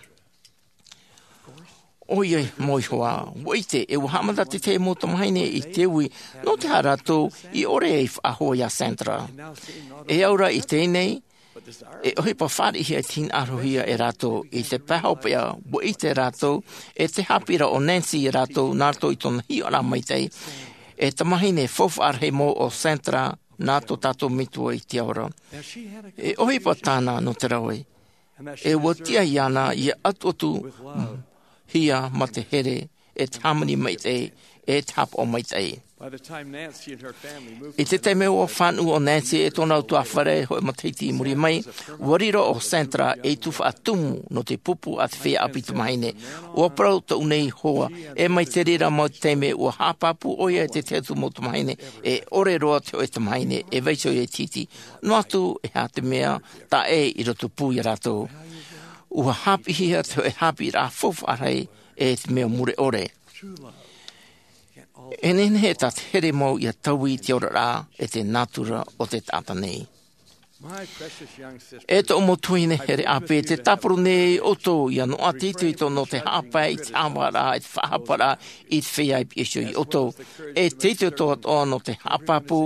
ʻOia mau iho ā, ʻua ʻite, e ʻua haʻamata te tahi mau tamāhine i te ui, nō te aha rātou i ʻore ai faʻahoa iā Sandra. E au ra i teie nei, e ʻohipa fāriʻihia e te hinaʻarohia e rātou, i te pae hopeʻa, ʻua ʻite rātou, e te haʻapiʻiraʻa o Nancy ia rātou, nā roto i tōna hiʻoraʻa maitaʻi, e tamāhine faufaʻa rahi mau ʻo Sandra, nā tō tātou Metua i te ao ra. E ʻohipa tāna nō te rave. E ʻua tiʻa iāna ʻia atuatuhia mā te here, e te hāmani maitaʻi, e te haʻapaʻo maitaʻi. By the time Nancy and her family moved I te taime ʻua fānaʻo ʻo Nancy e tōna ʻutuāfare hōʻē matahiti i muri mai, ʻua riro ʻo Sandra ei tuhaʻa tumu nō te pupu a te feiā ʻāpī tamāhine. ʻUa parau tōʻu nei hoa, e mai te reira mau taime ʻua haʻapāpū ʻoia i te tahi atu mau tamāhine, e ʻore roa te hōʻē tamāhine e vaiiho ia i te hiti. Noa atu, e aha te mea, taʻa ʻē i roto pū ia rātou. ʻUa haʻapiʻihia te hōʻē haʻapiʻiraʻa faufaʻa rahi e te mea mure ʻore. E nehenehe tā te here mau ʻia taui i te oraraʻa e te nātura o te taʻata nei. E tōʻu mau tuahine here ʻāpī, tē tāparu nei ʻoutou ʻia noaʻa te itoito nō te haʻapae i te haʻavāraʻa, i te faʻahaparaʻa, i te feiā i piha iho ia ʻoutou. E te itoito atoʻa nō te haʻapāpū,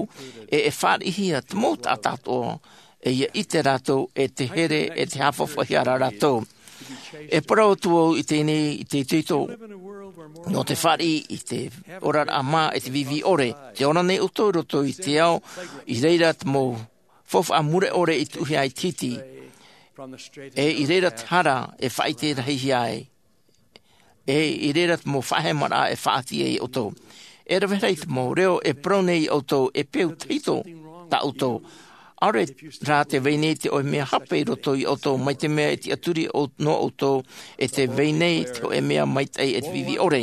e, e fāriʻihia te mau taʻata atoʻa, e ʻia ʻite rātou, e te here, e te haʻafaufaʻahia ra rātou. E parau atu au i teie nei, i te itoito, nō te fāriʻi, i te oraraʻa mā, e te vīvī ʻore. Tē ora nei ʻoutou i roto i te ao, i reira te mau faufaʻa mure ʻore i tuʻuhia ai te hiti. E i reira te hara e faʻaʻite rahihia ai. E i reira te mau faʻahemaraʻa e faʻaʻite ai ʻoutou. E rave rahi te mau reo e parau nei ia ʻoutou e peu tahito tā ʻoutou. ʻAore rā te vai nei te ʻoe mea hape i roto iā ʻoutou, mai te mea e tiʻaturi nō ʻoutou, e te vai nei te hōʻē mea maitaʻi e te viʻiviʻi ʻore.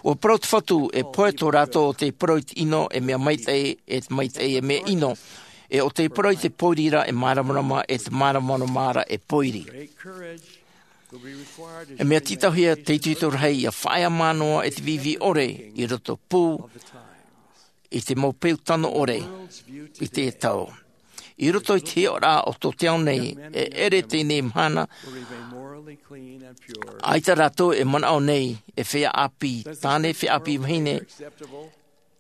ʻUa parau te Fatu, e pohe tō rātou ʻo tē parau i te ʻino e mea maitaʻi, e te maitaʻi e mea ʻino, e ʻo tē parau i te pōiri ra e māramarama, e te māramarama ra e pōiri. E mea tītauhia te itoito rahi ia faʻaea mā noa e te viʻiviʻi ʻore i roto pū i te mau peu tano ʻore i te tau. I roto i te hiʻoraʻa o tō te ao nei, e ʻere teie mahana, ʻaita rātou e manaʻo nei e feiā ʻāpī tāne, feiā ʻāpī vahine,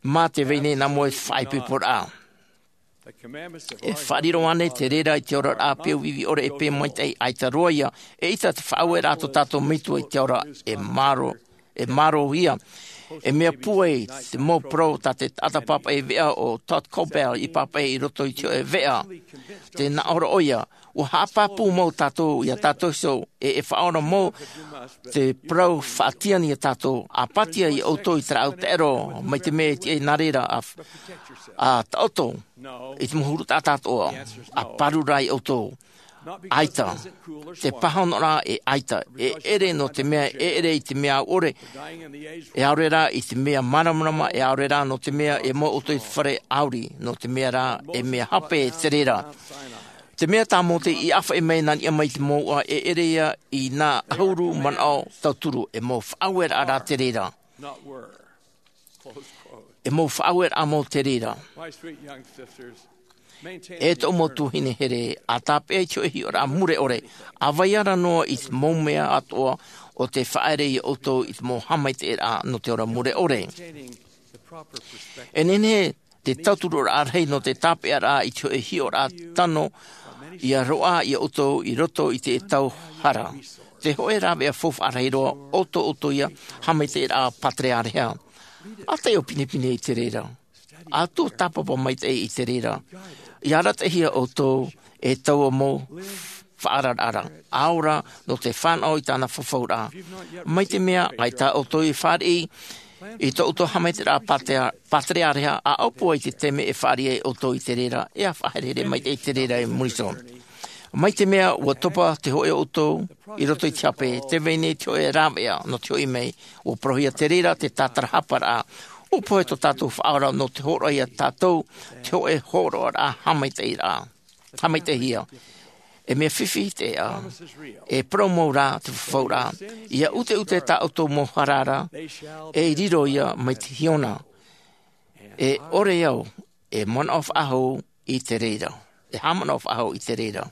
mā te vai nei nā mua i te faʻaipoiporaʻa. E faʻariro ānei te reira i te oraraʻa peu viʻiviʻi ʻore e peu maitaʻi? ʻAita roa ia. E ʻita te faʻaueraʻa tō tātou Metua i te ao ra e māro, e mārohia. E mea pūai te mau parau tā te taʻata pāpaʻi veʻa ʻo Todd Koppel i pāpaʻi i roto i te hōʻē veʻa. Tē nā ʻō ra ʻoia, ʻua haʻapāpū mau tātou iā tātou iho, e, e faʻaora mau te parau faʻatiani iā tātou, ʻa pātia iā ʻoutou i te rāʻau taʻero, mai te mea e tiʻa nā reira ʻa, ʻa taʻoto i te mau huru taʻata atoʻa, ʻa pāruru iā ʻoutou. ʻAita. Te pāhonoraʻa e ʻaita, e ʻere nō te mea, e ʻere i te mea au ʻore, e ʻaore rā i te mea māramarama, e ʻaore rā nō te mea e mau ʻoutou i te fare ʻauri, nō te mea rā e mea hape te reira. Te mea tā Mōte i ʻāfaʻi mai nā niʻa mai i te mouʻa, e ʻere ia i nā ʻahuru manaʻo tauturu, e mau faʻaueraʻa rā te reira. E mau faʻaueraʻa mau te reira. E tōʻu mau tuahine here, ʻa tāpeʻa i te hōʻē hiʻoraʻa mure ʻore, ʻa vai ra noa i te mau mea atoʻa ʻo tē faʻaere iā ʻoutou i te mau haʻamaitaʻiraʻa nō te ora mure ʻore. E nehenehe te tauturuʻaraʻa rahi nō te tāpeʻaraʻa i te hōʻē hiʻoraʻa tano, ʻia roaʻa iā ʻoutou i roto i te tau hara. Te hōʻē rāveʻa faufaʻa rahi roa, ʻo tō ʻoutou ia haʻamaitaʻiraʻa pātereareha. ʻA taiʻo pinepine i te reira. ʻA tuatāpapa maitaʻi i te reira. ʻIa arataʻihia ʻoutou e taua mau faʻaararaʻa. ʻA ora nō te fānaʻo i tāna fafauraʻa. Mai te mea, ʻaita ʻoutou i fāriʻi i tō ʻoutou haʻamaitaʻiraʻa pātea-, pātereareha, ʻa ʻōpua i te taime e fāriʻi ai ʻoutou i te reira, e ʻa faʻaherehere maitaʻi i te reira i muri iho. Mai te mea, ʻua topa te hōʻē ʻoutou i roto i te hape, tē vai nei te hōʻē rāveʻa nō te hoʻi mai, ʻua parauhia te reira te tātarahaparaʻa, ʻua pohe tō tātou Faʻaora nō te hōroʻa iā tātou, te hōʻē hōroʻaraʻa haʻamaitaʻiraʻa. Haʻamaitaʻihia. E mea fifi te ʻeʻa. E parau mau rā te fafauraʻa. ʻIa ʻuteʻute tā ʻoutou mau hara ra, e riro ia mai te hiona. E ʻore au, e manaʻo faʻahou i te reira. E haʻamanaʻo faʻahou i te reira.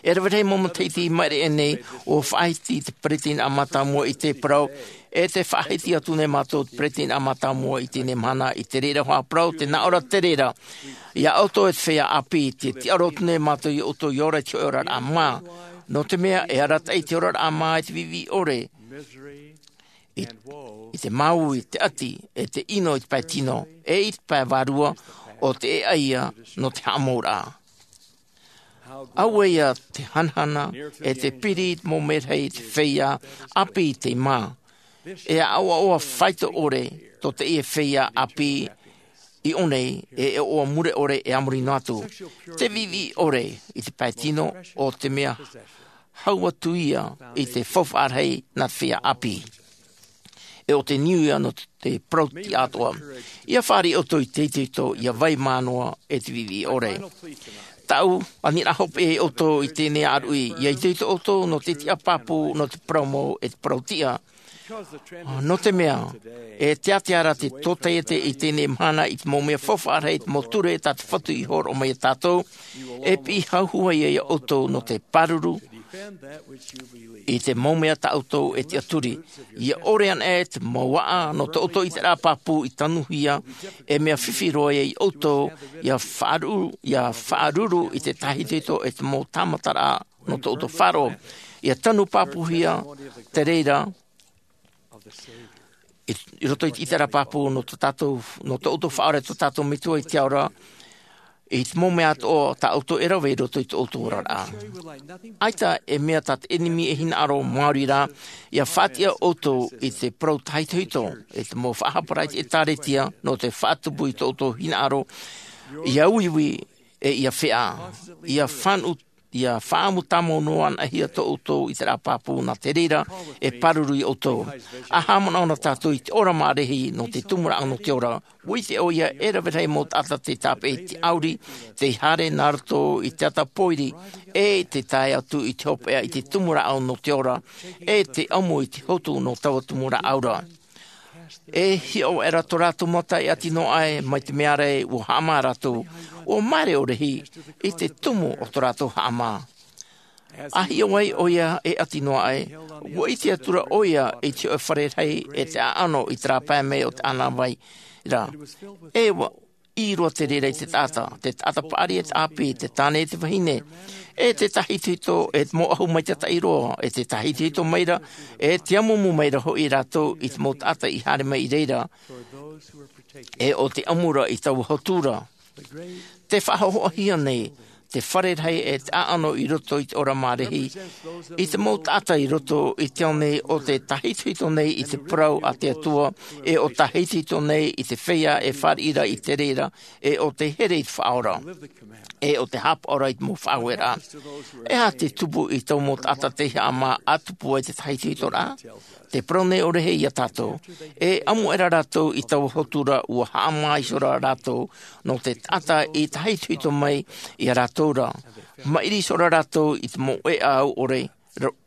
E rave rahi mau matahiti i maʻiri aʻe nei, ʻua faʻahiti te peretiteni mātāmua i te parau, e tē faʻahiti atu nei mātou te peretiteni mātāmua i teie mahana i te reira hoʻi parau, tē nā ʻō ra te reira. Iā ʻoutou e te feiā ʻāpī, tē tiʻaoro atu nei mātou iā ʻoutou ʻia ora i te hōʻē oraraʻa mā. Nō te mea, e arataʻi te oraraʻa mā i te viʻiviʻi ʻore. I, i te māuiui, te ʻati, e te ʻino i te pae tino, e i te pae vārua, ʻo te ʻēʻa ia nō te haʻamouraʻa. Auē ia te hanahana, e te piri i te mau merahi i te feiā ʻāpī i te mā. E ʻaʻoaʻoa faito ʻore tō teie feiā ʻāpī i ʻō nei, e ʻoaʻoa mure ʻore e a muri noa atu. Te viʻiviʻi ʻore i te pae tino, ʻo te mea hau atu ia i te faufaʻa rahi nā te feiā ʻāpī. E ʻo te niu ia nō te parau tiʻa atoʻa. ʻIa fāriʻi ʻoutou i te itoito, ʻia vai mā noa e te viʻiviʻi ʻore. Tāʻu aniraʻa hopeʻa iā ʻoutou i teie nei ʻāruʻi, ʻia itoito ʻoutou nō te tiʻa pāpū, nō te parau mau, e te parau tiʻa. Nō te mea, e teatea ra te tōtaiete i teie mahana i te mau mea faufaʻa rahi, i te mau ture tā te Fatu i hōroʻa mai iā tātou, e piʻi hauhau ai iā ʻoutou nō te pāruru i te mau mea tā ʻoutou e tiʻaturi. ʻIa ʻore ana e te mau aʻa nō tō ʻoutou ʻiteraʻa pāpū i tanuhia, e mea fifi roa iā ʻoutou, ʻia faʻaruʻu, ʻia faʻaruru i te tahi itoito e te mau tāmataraʻa nō tō ʻoutou faʻaroʻo. ʻIa tanu pāpūhia te reira, i, i roto i te ʻiteraʻa pāpū nō tō tātou, nō tō ʻoutou Faʻaora, tō tātou Metua i te ao ra, i te mau mea atoʻa tā ʻoutou e rave i roto i tō ʻoutou oraraʻa. ʻAita e mea tā te ʻenemi e hinaʻaro maori ra, ʻia faʻatiʻa ʻoutou i te parau tahitohito, i te mau faʻahaparaʻa i te ʻĒtārētia, nō te faʻatupu i tō ʻoutou hinaʻaro, ʻia uiui, e ia fea ia fanu ia faamu tamau noa ana hia to outou i te rā papu na te reira e paruru i outou. A haamana ona tatou i te ora marehi no te tumuraʻa no te ora, ua ite oia e rave rahi mau taata te tape i te auri te hare na roto i te ata poiri, e te tae atu i te hopea i te tumuraʻa no te ora, e te amu i te hotu no taua tumuraʻa aura. E hiʻo era to rātou mata e ati noa ai mai te mea rei ua haama rātou, ua mare o rehi i te tumu o to rātou haama. A hiʻo ai oia e ati noa ai, ua ite atura oia i te hoʻe fare rahi e te aano i te rapae mai o te anavai ra. E ua i roa te reira i te taata te taata paari e te api te tane e te vahine, e te tahitohito e te mau ahu mai te taʻi roa e te tahitohito mai ra, e te amumu mai ra hoʻi rātou i te mau taata i hare mai i reira, e o te amura i taua hotura. Te faahohoahia nei te fare rahi e te aano i roto i te ora marehi i te mau taata i roto i te ao nei o te tahitohito nei i te parau a te atua, e o tahitohito nei i te feia e fariira i te reira, e o te here i te faaora, e o te haapaora i te mau faaue ra. E aha te tupu i tau mau taata te haama a tupu ai te tahitohito ra? Te parau nei o rehi ia tatou, e amu era rātou i taua hotura ua haama iho ra rātou no te taata i tahitohito mai ia rātou ra, mairi iho ra rātou i te mau ea au ore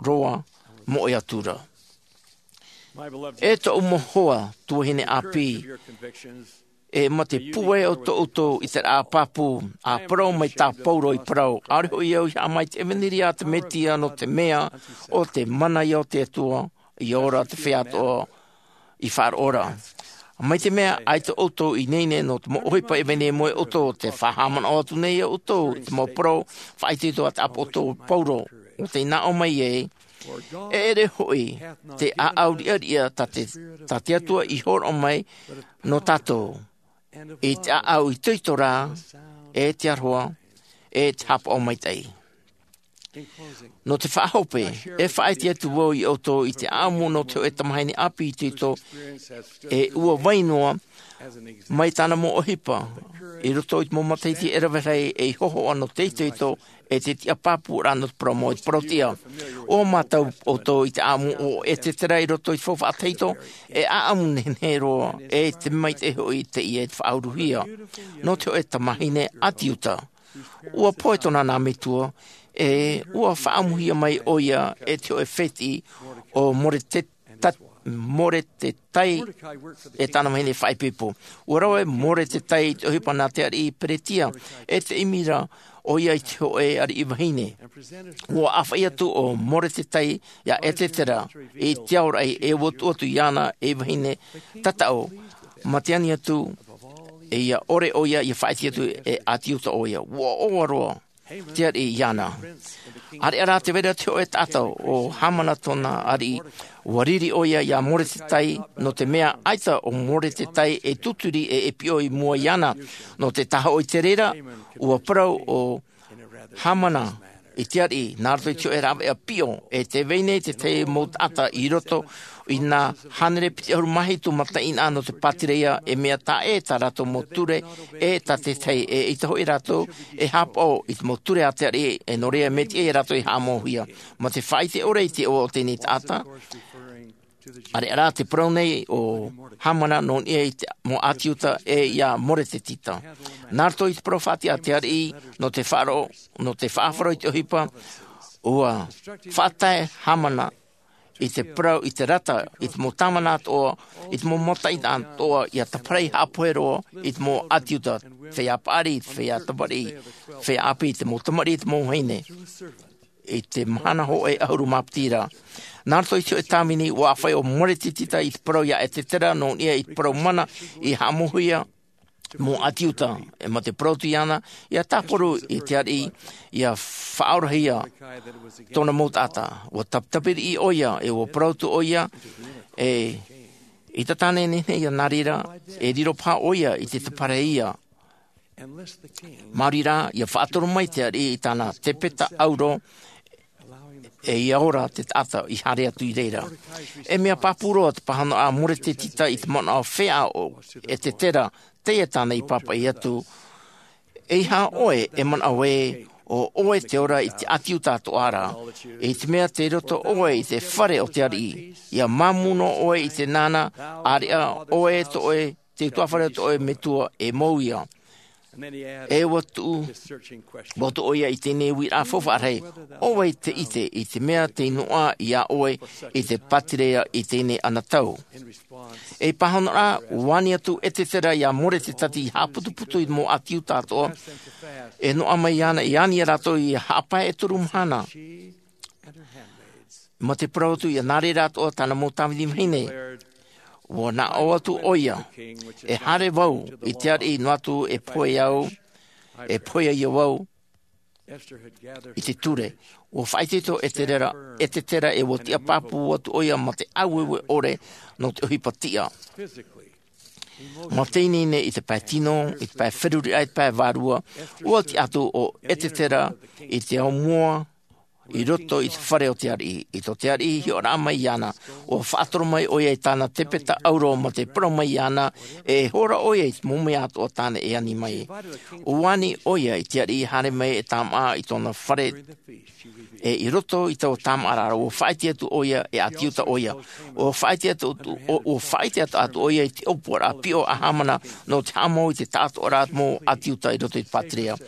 roa moe atura. E toʻu mau hoa tuahine api, e ma te pue o to outou i te rā papu a parau mai tā paulo i parau aore hoʻi au i haama i te evanelia a te mesia no te mea o te mana ia o te atua, i ora te fea toa i faaroora. Mai te mea ai to outou i neine no te mau ohipa e vene moe outou te faahaamanaʻo atu nei ia outou i te mau parau faaitoito a te aposetolo paulo, o te inaʻo mai e e ere hoʻi te aau riʻariʻa tā te atua i horoʻa mai no tatou i te aau itoito ra, e te aroha, e te haapaʻo maitaʻi. No te faahope, e faaite atu vau i outou i te amu no te hoʻe tamahine api itoito e ua vai noa mai tana mau ohipa i roto i te mau matahiti e rave rahi e i hohoʻa no te itoito e te tiapapuraʻa no te parau mau i te parau tia. O mātou outou i te amu o esetera i roto i te faufaʻa tahito, e amu nehenehe roa e te maitaʻi hoʻi teie e te faauruhia no te hoʻe tamahine a te iuta. Ua poe tōna nā metua, e ua faʻamuhia mai ʻo ia e te hoʻe fētiʻi ʻo moretetai, moretetai e tāna vahine faʻaipoipo. Ua rave moretetai i te ʻohipa nā te ariʻi peretia e te ʻimi ra ʻo ia i te hoʻe ariʻi vahine. Ua ʻāfaʻi atu ʻo moretetai iā esetera i te aoraʻi e ua tuʻu atu iāna ei vahine tataʻu, mā te ani atu e ia ʻore ʻo ia ia faʻaite atu e ʻati uta ʻo ia. Ua ʻoaʻoa roa te ariʻi iāna. Areʻa rā te vera te hoʻe taʻata ʻo hamana tōna ariʻi. Ua riri ʻo ia iā moretetai nō te mea ʻaita ʻo moretetai e tuturi e e piʻo i mua iāna. Nō te tahoʻo i te reira ua parau ʻo hamana i te ariʻi nā roto i te hoʻe rāveʻa piʻo e te vai nei te tahi mau taʻata i roto i nā hānere piti ʻahuru mā hitu mataʻeinaʻa nō te pātireia e mea taʻe tā rātou mau ture e tā te tahi e ʻaita hoʻi rātou e hāpaʻo i te mau ture a te ariʻi e nō reira e mea tiʻa ia rātou e haʻamauhia. Mā te faʻaite ʻore i te ʻoaʻoa o teie taʻata. Areʻa rā te parau nei ʻo hamana nō niʻa i te mau ʻati iuta e iā moretetita nā roto i te parau faʻatiʻa a te ariʻi nō te faʻaroʻo nō te faʻaroʻo i te ʻohipa. Ua faʻatae hamana i te parau i te rata i te mau tāvana atoʻa i te mau mataʻeinaʻa atoʻa ia tāpaʻo haʻapohe roa i te mau ʻati iuta, feiā paʻari, feiā tamariʻi, feiā ʻāpī, te mau tamariʻi, te mau vahine i te mahana hoʻe ʻahuru mā piti ra. Nā roto i te hoʻe tāvini ua ʻāfaʻi ʻo moretetita i te parau iā esetera nō niʻa i te parau mana i haʻamauhia mau ʻati iuta e mā te parau atu iāna ia tāparu i te ariʻi ia faʻaorahia tōna mau taʻata. Ua tapitapi riʻi ʻo ia e ua parau atu ʻo ia e ʻaita tāne nehenehe ia nā reira e riro paha ʻo ia i te tāparuhia. Maori rā ia faʻatoro mai te ariʻi i tāna tepeta ʻauro e ia ora te taʻata i haere atu i reira. E mea pāpū roa te pāhono a moretetita i te manaʻo feiā ʻo esetera teie tāna i pāpaʻi atu. ʻEiaha ʻoe e manaʻo ē, ʻo ʻoe te ora i te ʻĀti Iuta atoʻa ra, i te mea tei roto ʻoe i te fare o te ariʻi, ʻia māmū noa ʻoe i te nānā, ʻāreʻa ʻoe tō ʻoe, te utuafare o tō ʻoe metua e mou ia. E ua tuʻu, ua tuʻu ʻoia i teie uiraʻa faufaʻa rahi, ʻo vai te ʻite i te mea tei noaʻa iā ʻoe i te pātireia i teie anotau? Ei pāhonoraʻa, ua ani atu Esetera iā Moretetati i haʻaputuputu i te mau ʻĀti Iuta atoʻa, e noaʻa mai iāna i ani iā rātou i haʻapae e toru mahana. Mā te parau atu, ʻia nā reira atoʻa tāna mau tāvini vahine. Ua nā ʻō atu ʻoia, e haere vau i te ariʻi noa atu e pohe au, e pohe ia vau i te ture. Ua faʻaitoito Esetera, Esetera e ua tiʻa pāpū atu ʻoia mā te ʻāueue ʻore nō te ʻohipa tiʻa. Mā te ineine i te pae tino, i te pae feruriraʻa, i te pae vārua, ua tiʻa atu ʻo Esetera i te ao mua, i roto i te fare o te ariʻi. I tō te ariʻi hiʻoraʻa mai iāna, ua faʻatoro mai ʻoia i tāna tepeta auro mā te parau mai iāna, e hora ʻoia i te mau mea atoʻa tāna e ani mai. Ua ani ʻoia i te ariʻi haere mai e tāmāʻa i tōna fare, e i roto i taua tāmāʻaraʻa, ua faʻaʻite atu ʻoia e ʻĀti Iuta ʻoia. Ua faʻaʻite atu, ua faʻaʻite atu ʻoia i te ʻōpuaraʻa piʻo a Hamana nō te haʻamau i te taʻatoʻaraʻa mau ʻĀti Iuta i roto i te pātireia.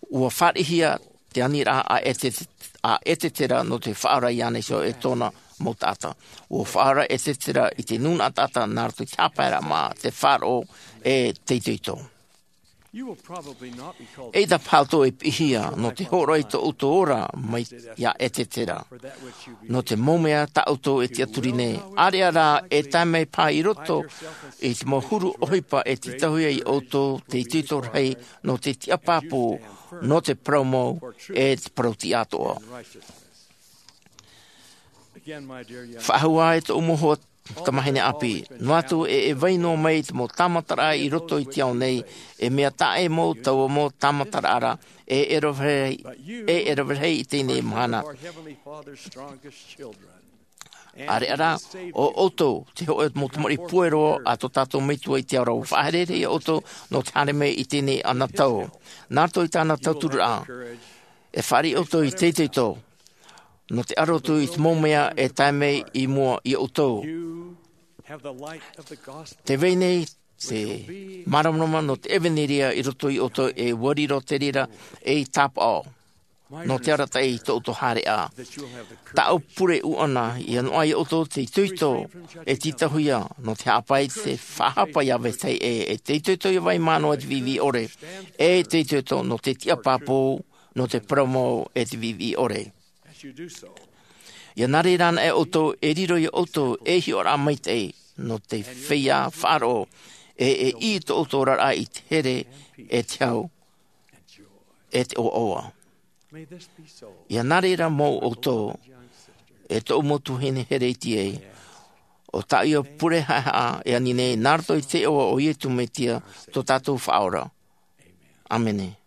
Ua fāriʻihia te aniraʻa a Ese-, a Esetera nō te faʻaora iāna iho e tōna mau taʻata. Ua faʻaora Esetera i te nūnaʻa taʻata nā roto i te haʻapaeraʻa mā te faʻaroʻo e te itoito. ʻEita paha ʻoutou e piʻihia nō te hōroʻa i tō ʻoutou ora mai iā Esetera. Nō te mau mea tā ʻoutou e tiʻaturi nei, ʻāreʻa rā e tae mai paha i roto i te mau huru ʻohipa e tītauhia iā ʻoutou te itoito rahi nō te tiʻa pāpū, nō te parau mau, e te parau tiʻa atoʻa. Faʻahou ā e tōʻu mau hoa tamāhine ʻāpī, noa atu e, e vai noa mai te mau tāmataraʻa i roto i te ao nei, e mea taʻa ʻē mau taua mau tāmataraʻa ra, e ʻere rahi, e ʻere rahi i teie mahana. ʻĀreʻa rā, ʻo ʻoutou te hōʻē mau tamariʻi puero a tō tātou Metua i te ao ra. Ua faʻaherehere iā ʻoutou nō te haere mai i teie anotau. Nā roto i tāna tauturu ra, e fāriʻi ʻoutou i te itoito nō te aro atu i te mau mea e tae mai i mua iā ʻoutou. Tē vai nei te māramarama nō te ʻevaneria i roto iā ʻoutou, e ua riro te reira ei tāpaʻo nō te arataʻi i tō ʻoutou haereʻa. Tāʻu pure ʻuʻana, ʻia noaʻa iā ʻoutou te itoito e tītauhia nō te haʻapae i te faʻahapa iā vetahi ʻē, e te itoito ʻia vai mā noa i te viʻiviʻi ʻore, e te itoito nō te tiʻa pāpū, nō te parau mau, e te viʻiviʻi ʻore. ʻIa nā reira anaʻe ʻoutou, e riro iā ʻoutou ei hiʻoraʻa maitaʻi nō te feiā faʻaroʻo, e, e ʻī tō ʻoutou oraraʻa i te here, e te hau, e te ʻoaʻoa. ʻIa nā reira mau ʻoutou, e tōʻu mau tuahine here iti ai, ʻo tāʻu ia pure haʻehaʻa e ani nei nā roto i te iʻoa o Iesu Mesia, tō tātou Faʻaora. ʻĀmene.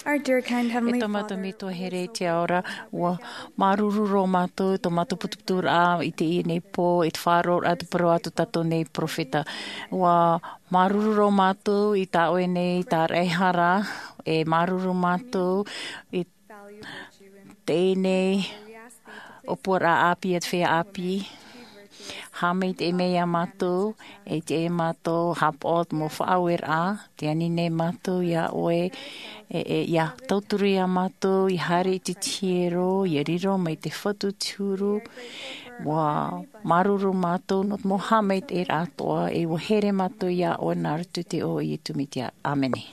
Our dear kind Heavenly Father, e tō mātou metua here i te ao ra, ua māuruuru roa mātou tō mātou putuputuraʻa i teie nei pō, i te faʻaroʻoraʻa te parau a tō tātou nei peropheta. Ua māuruuru roa mātou i tā ʻoe nei tāraʻehara, e māuruuru mātou i teie nei ʻōpuaraʻa ʻāpī a te feiā ʻāpī. Haʻamaitaʻi mai iā mātou, e te e mātou hāpaʻo te mau faʻaueraʻa, te ani nei mātou iā ʻoe, e, e, ia tauturu iā mātou, ia haere i te tiero, ia riro mai te fatu te huru, ua māuruuru mātou, nō te mau haʻamaitaʻiraʻa atoʻa, e ua here mātou iā ʻoe nā roto i te iʻoa o Iesu Mesia. ʻĀmene.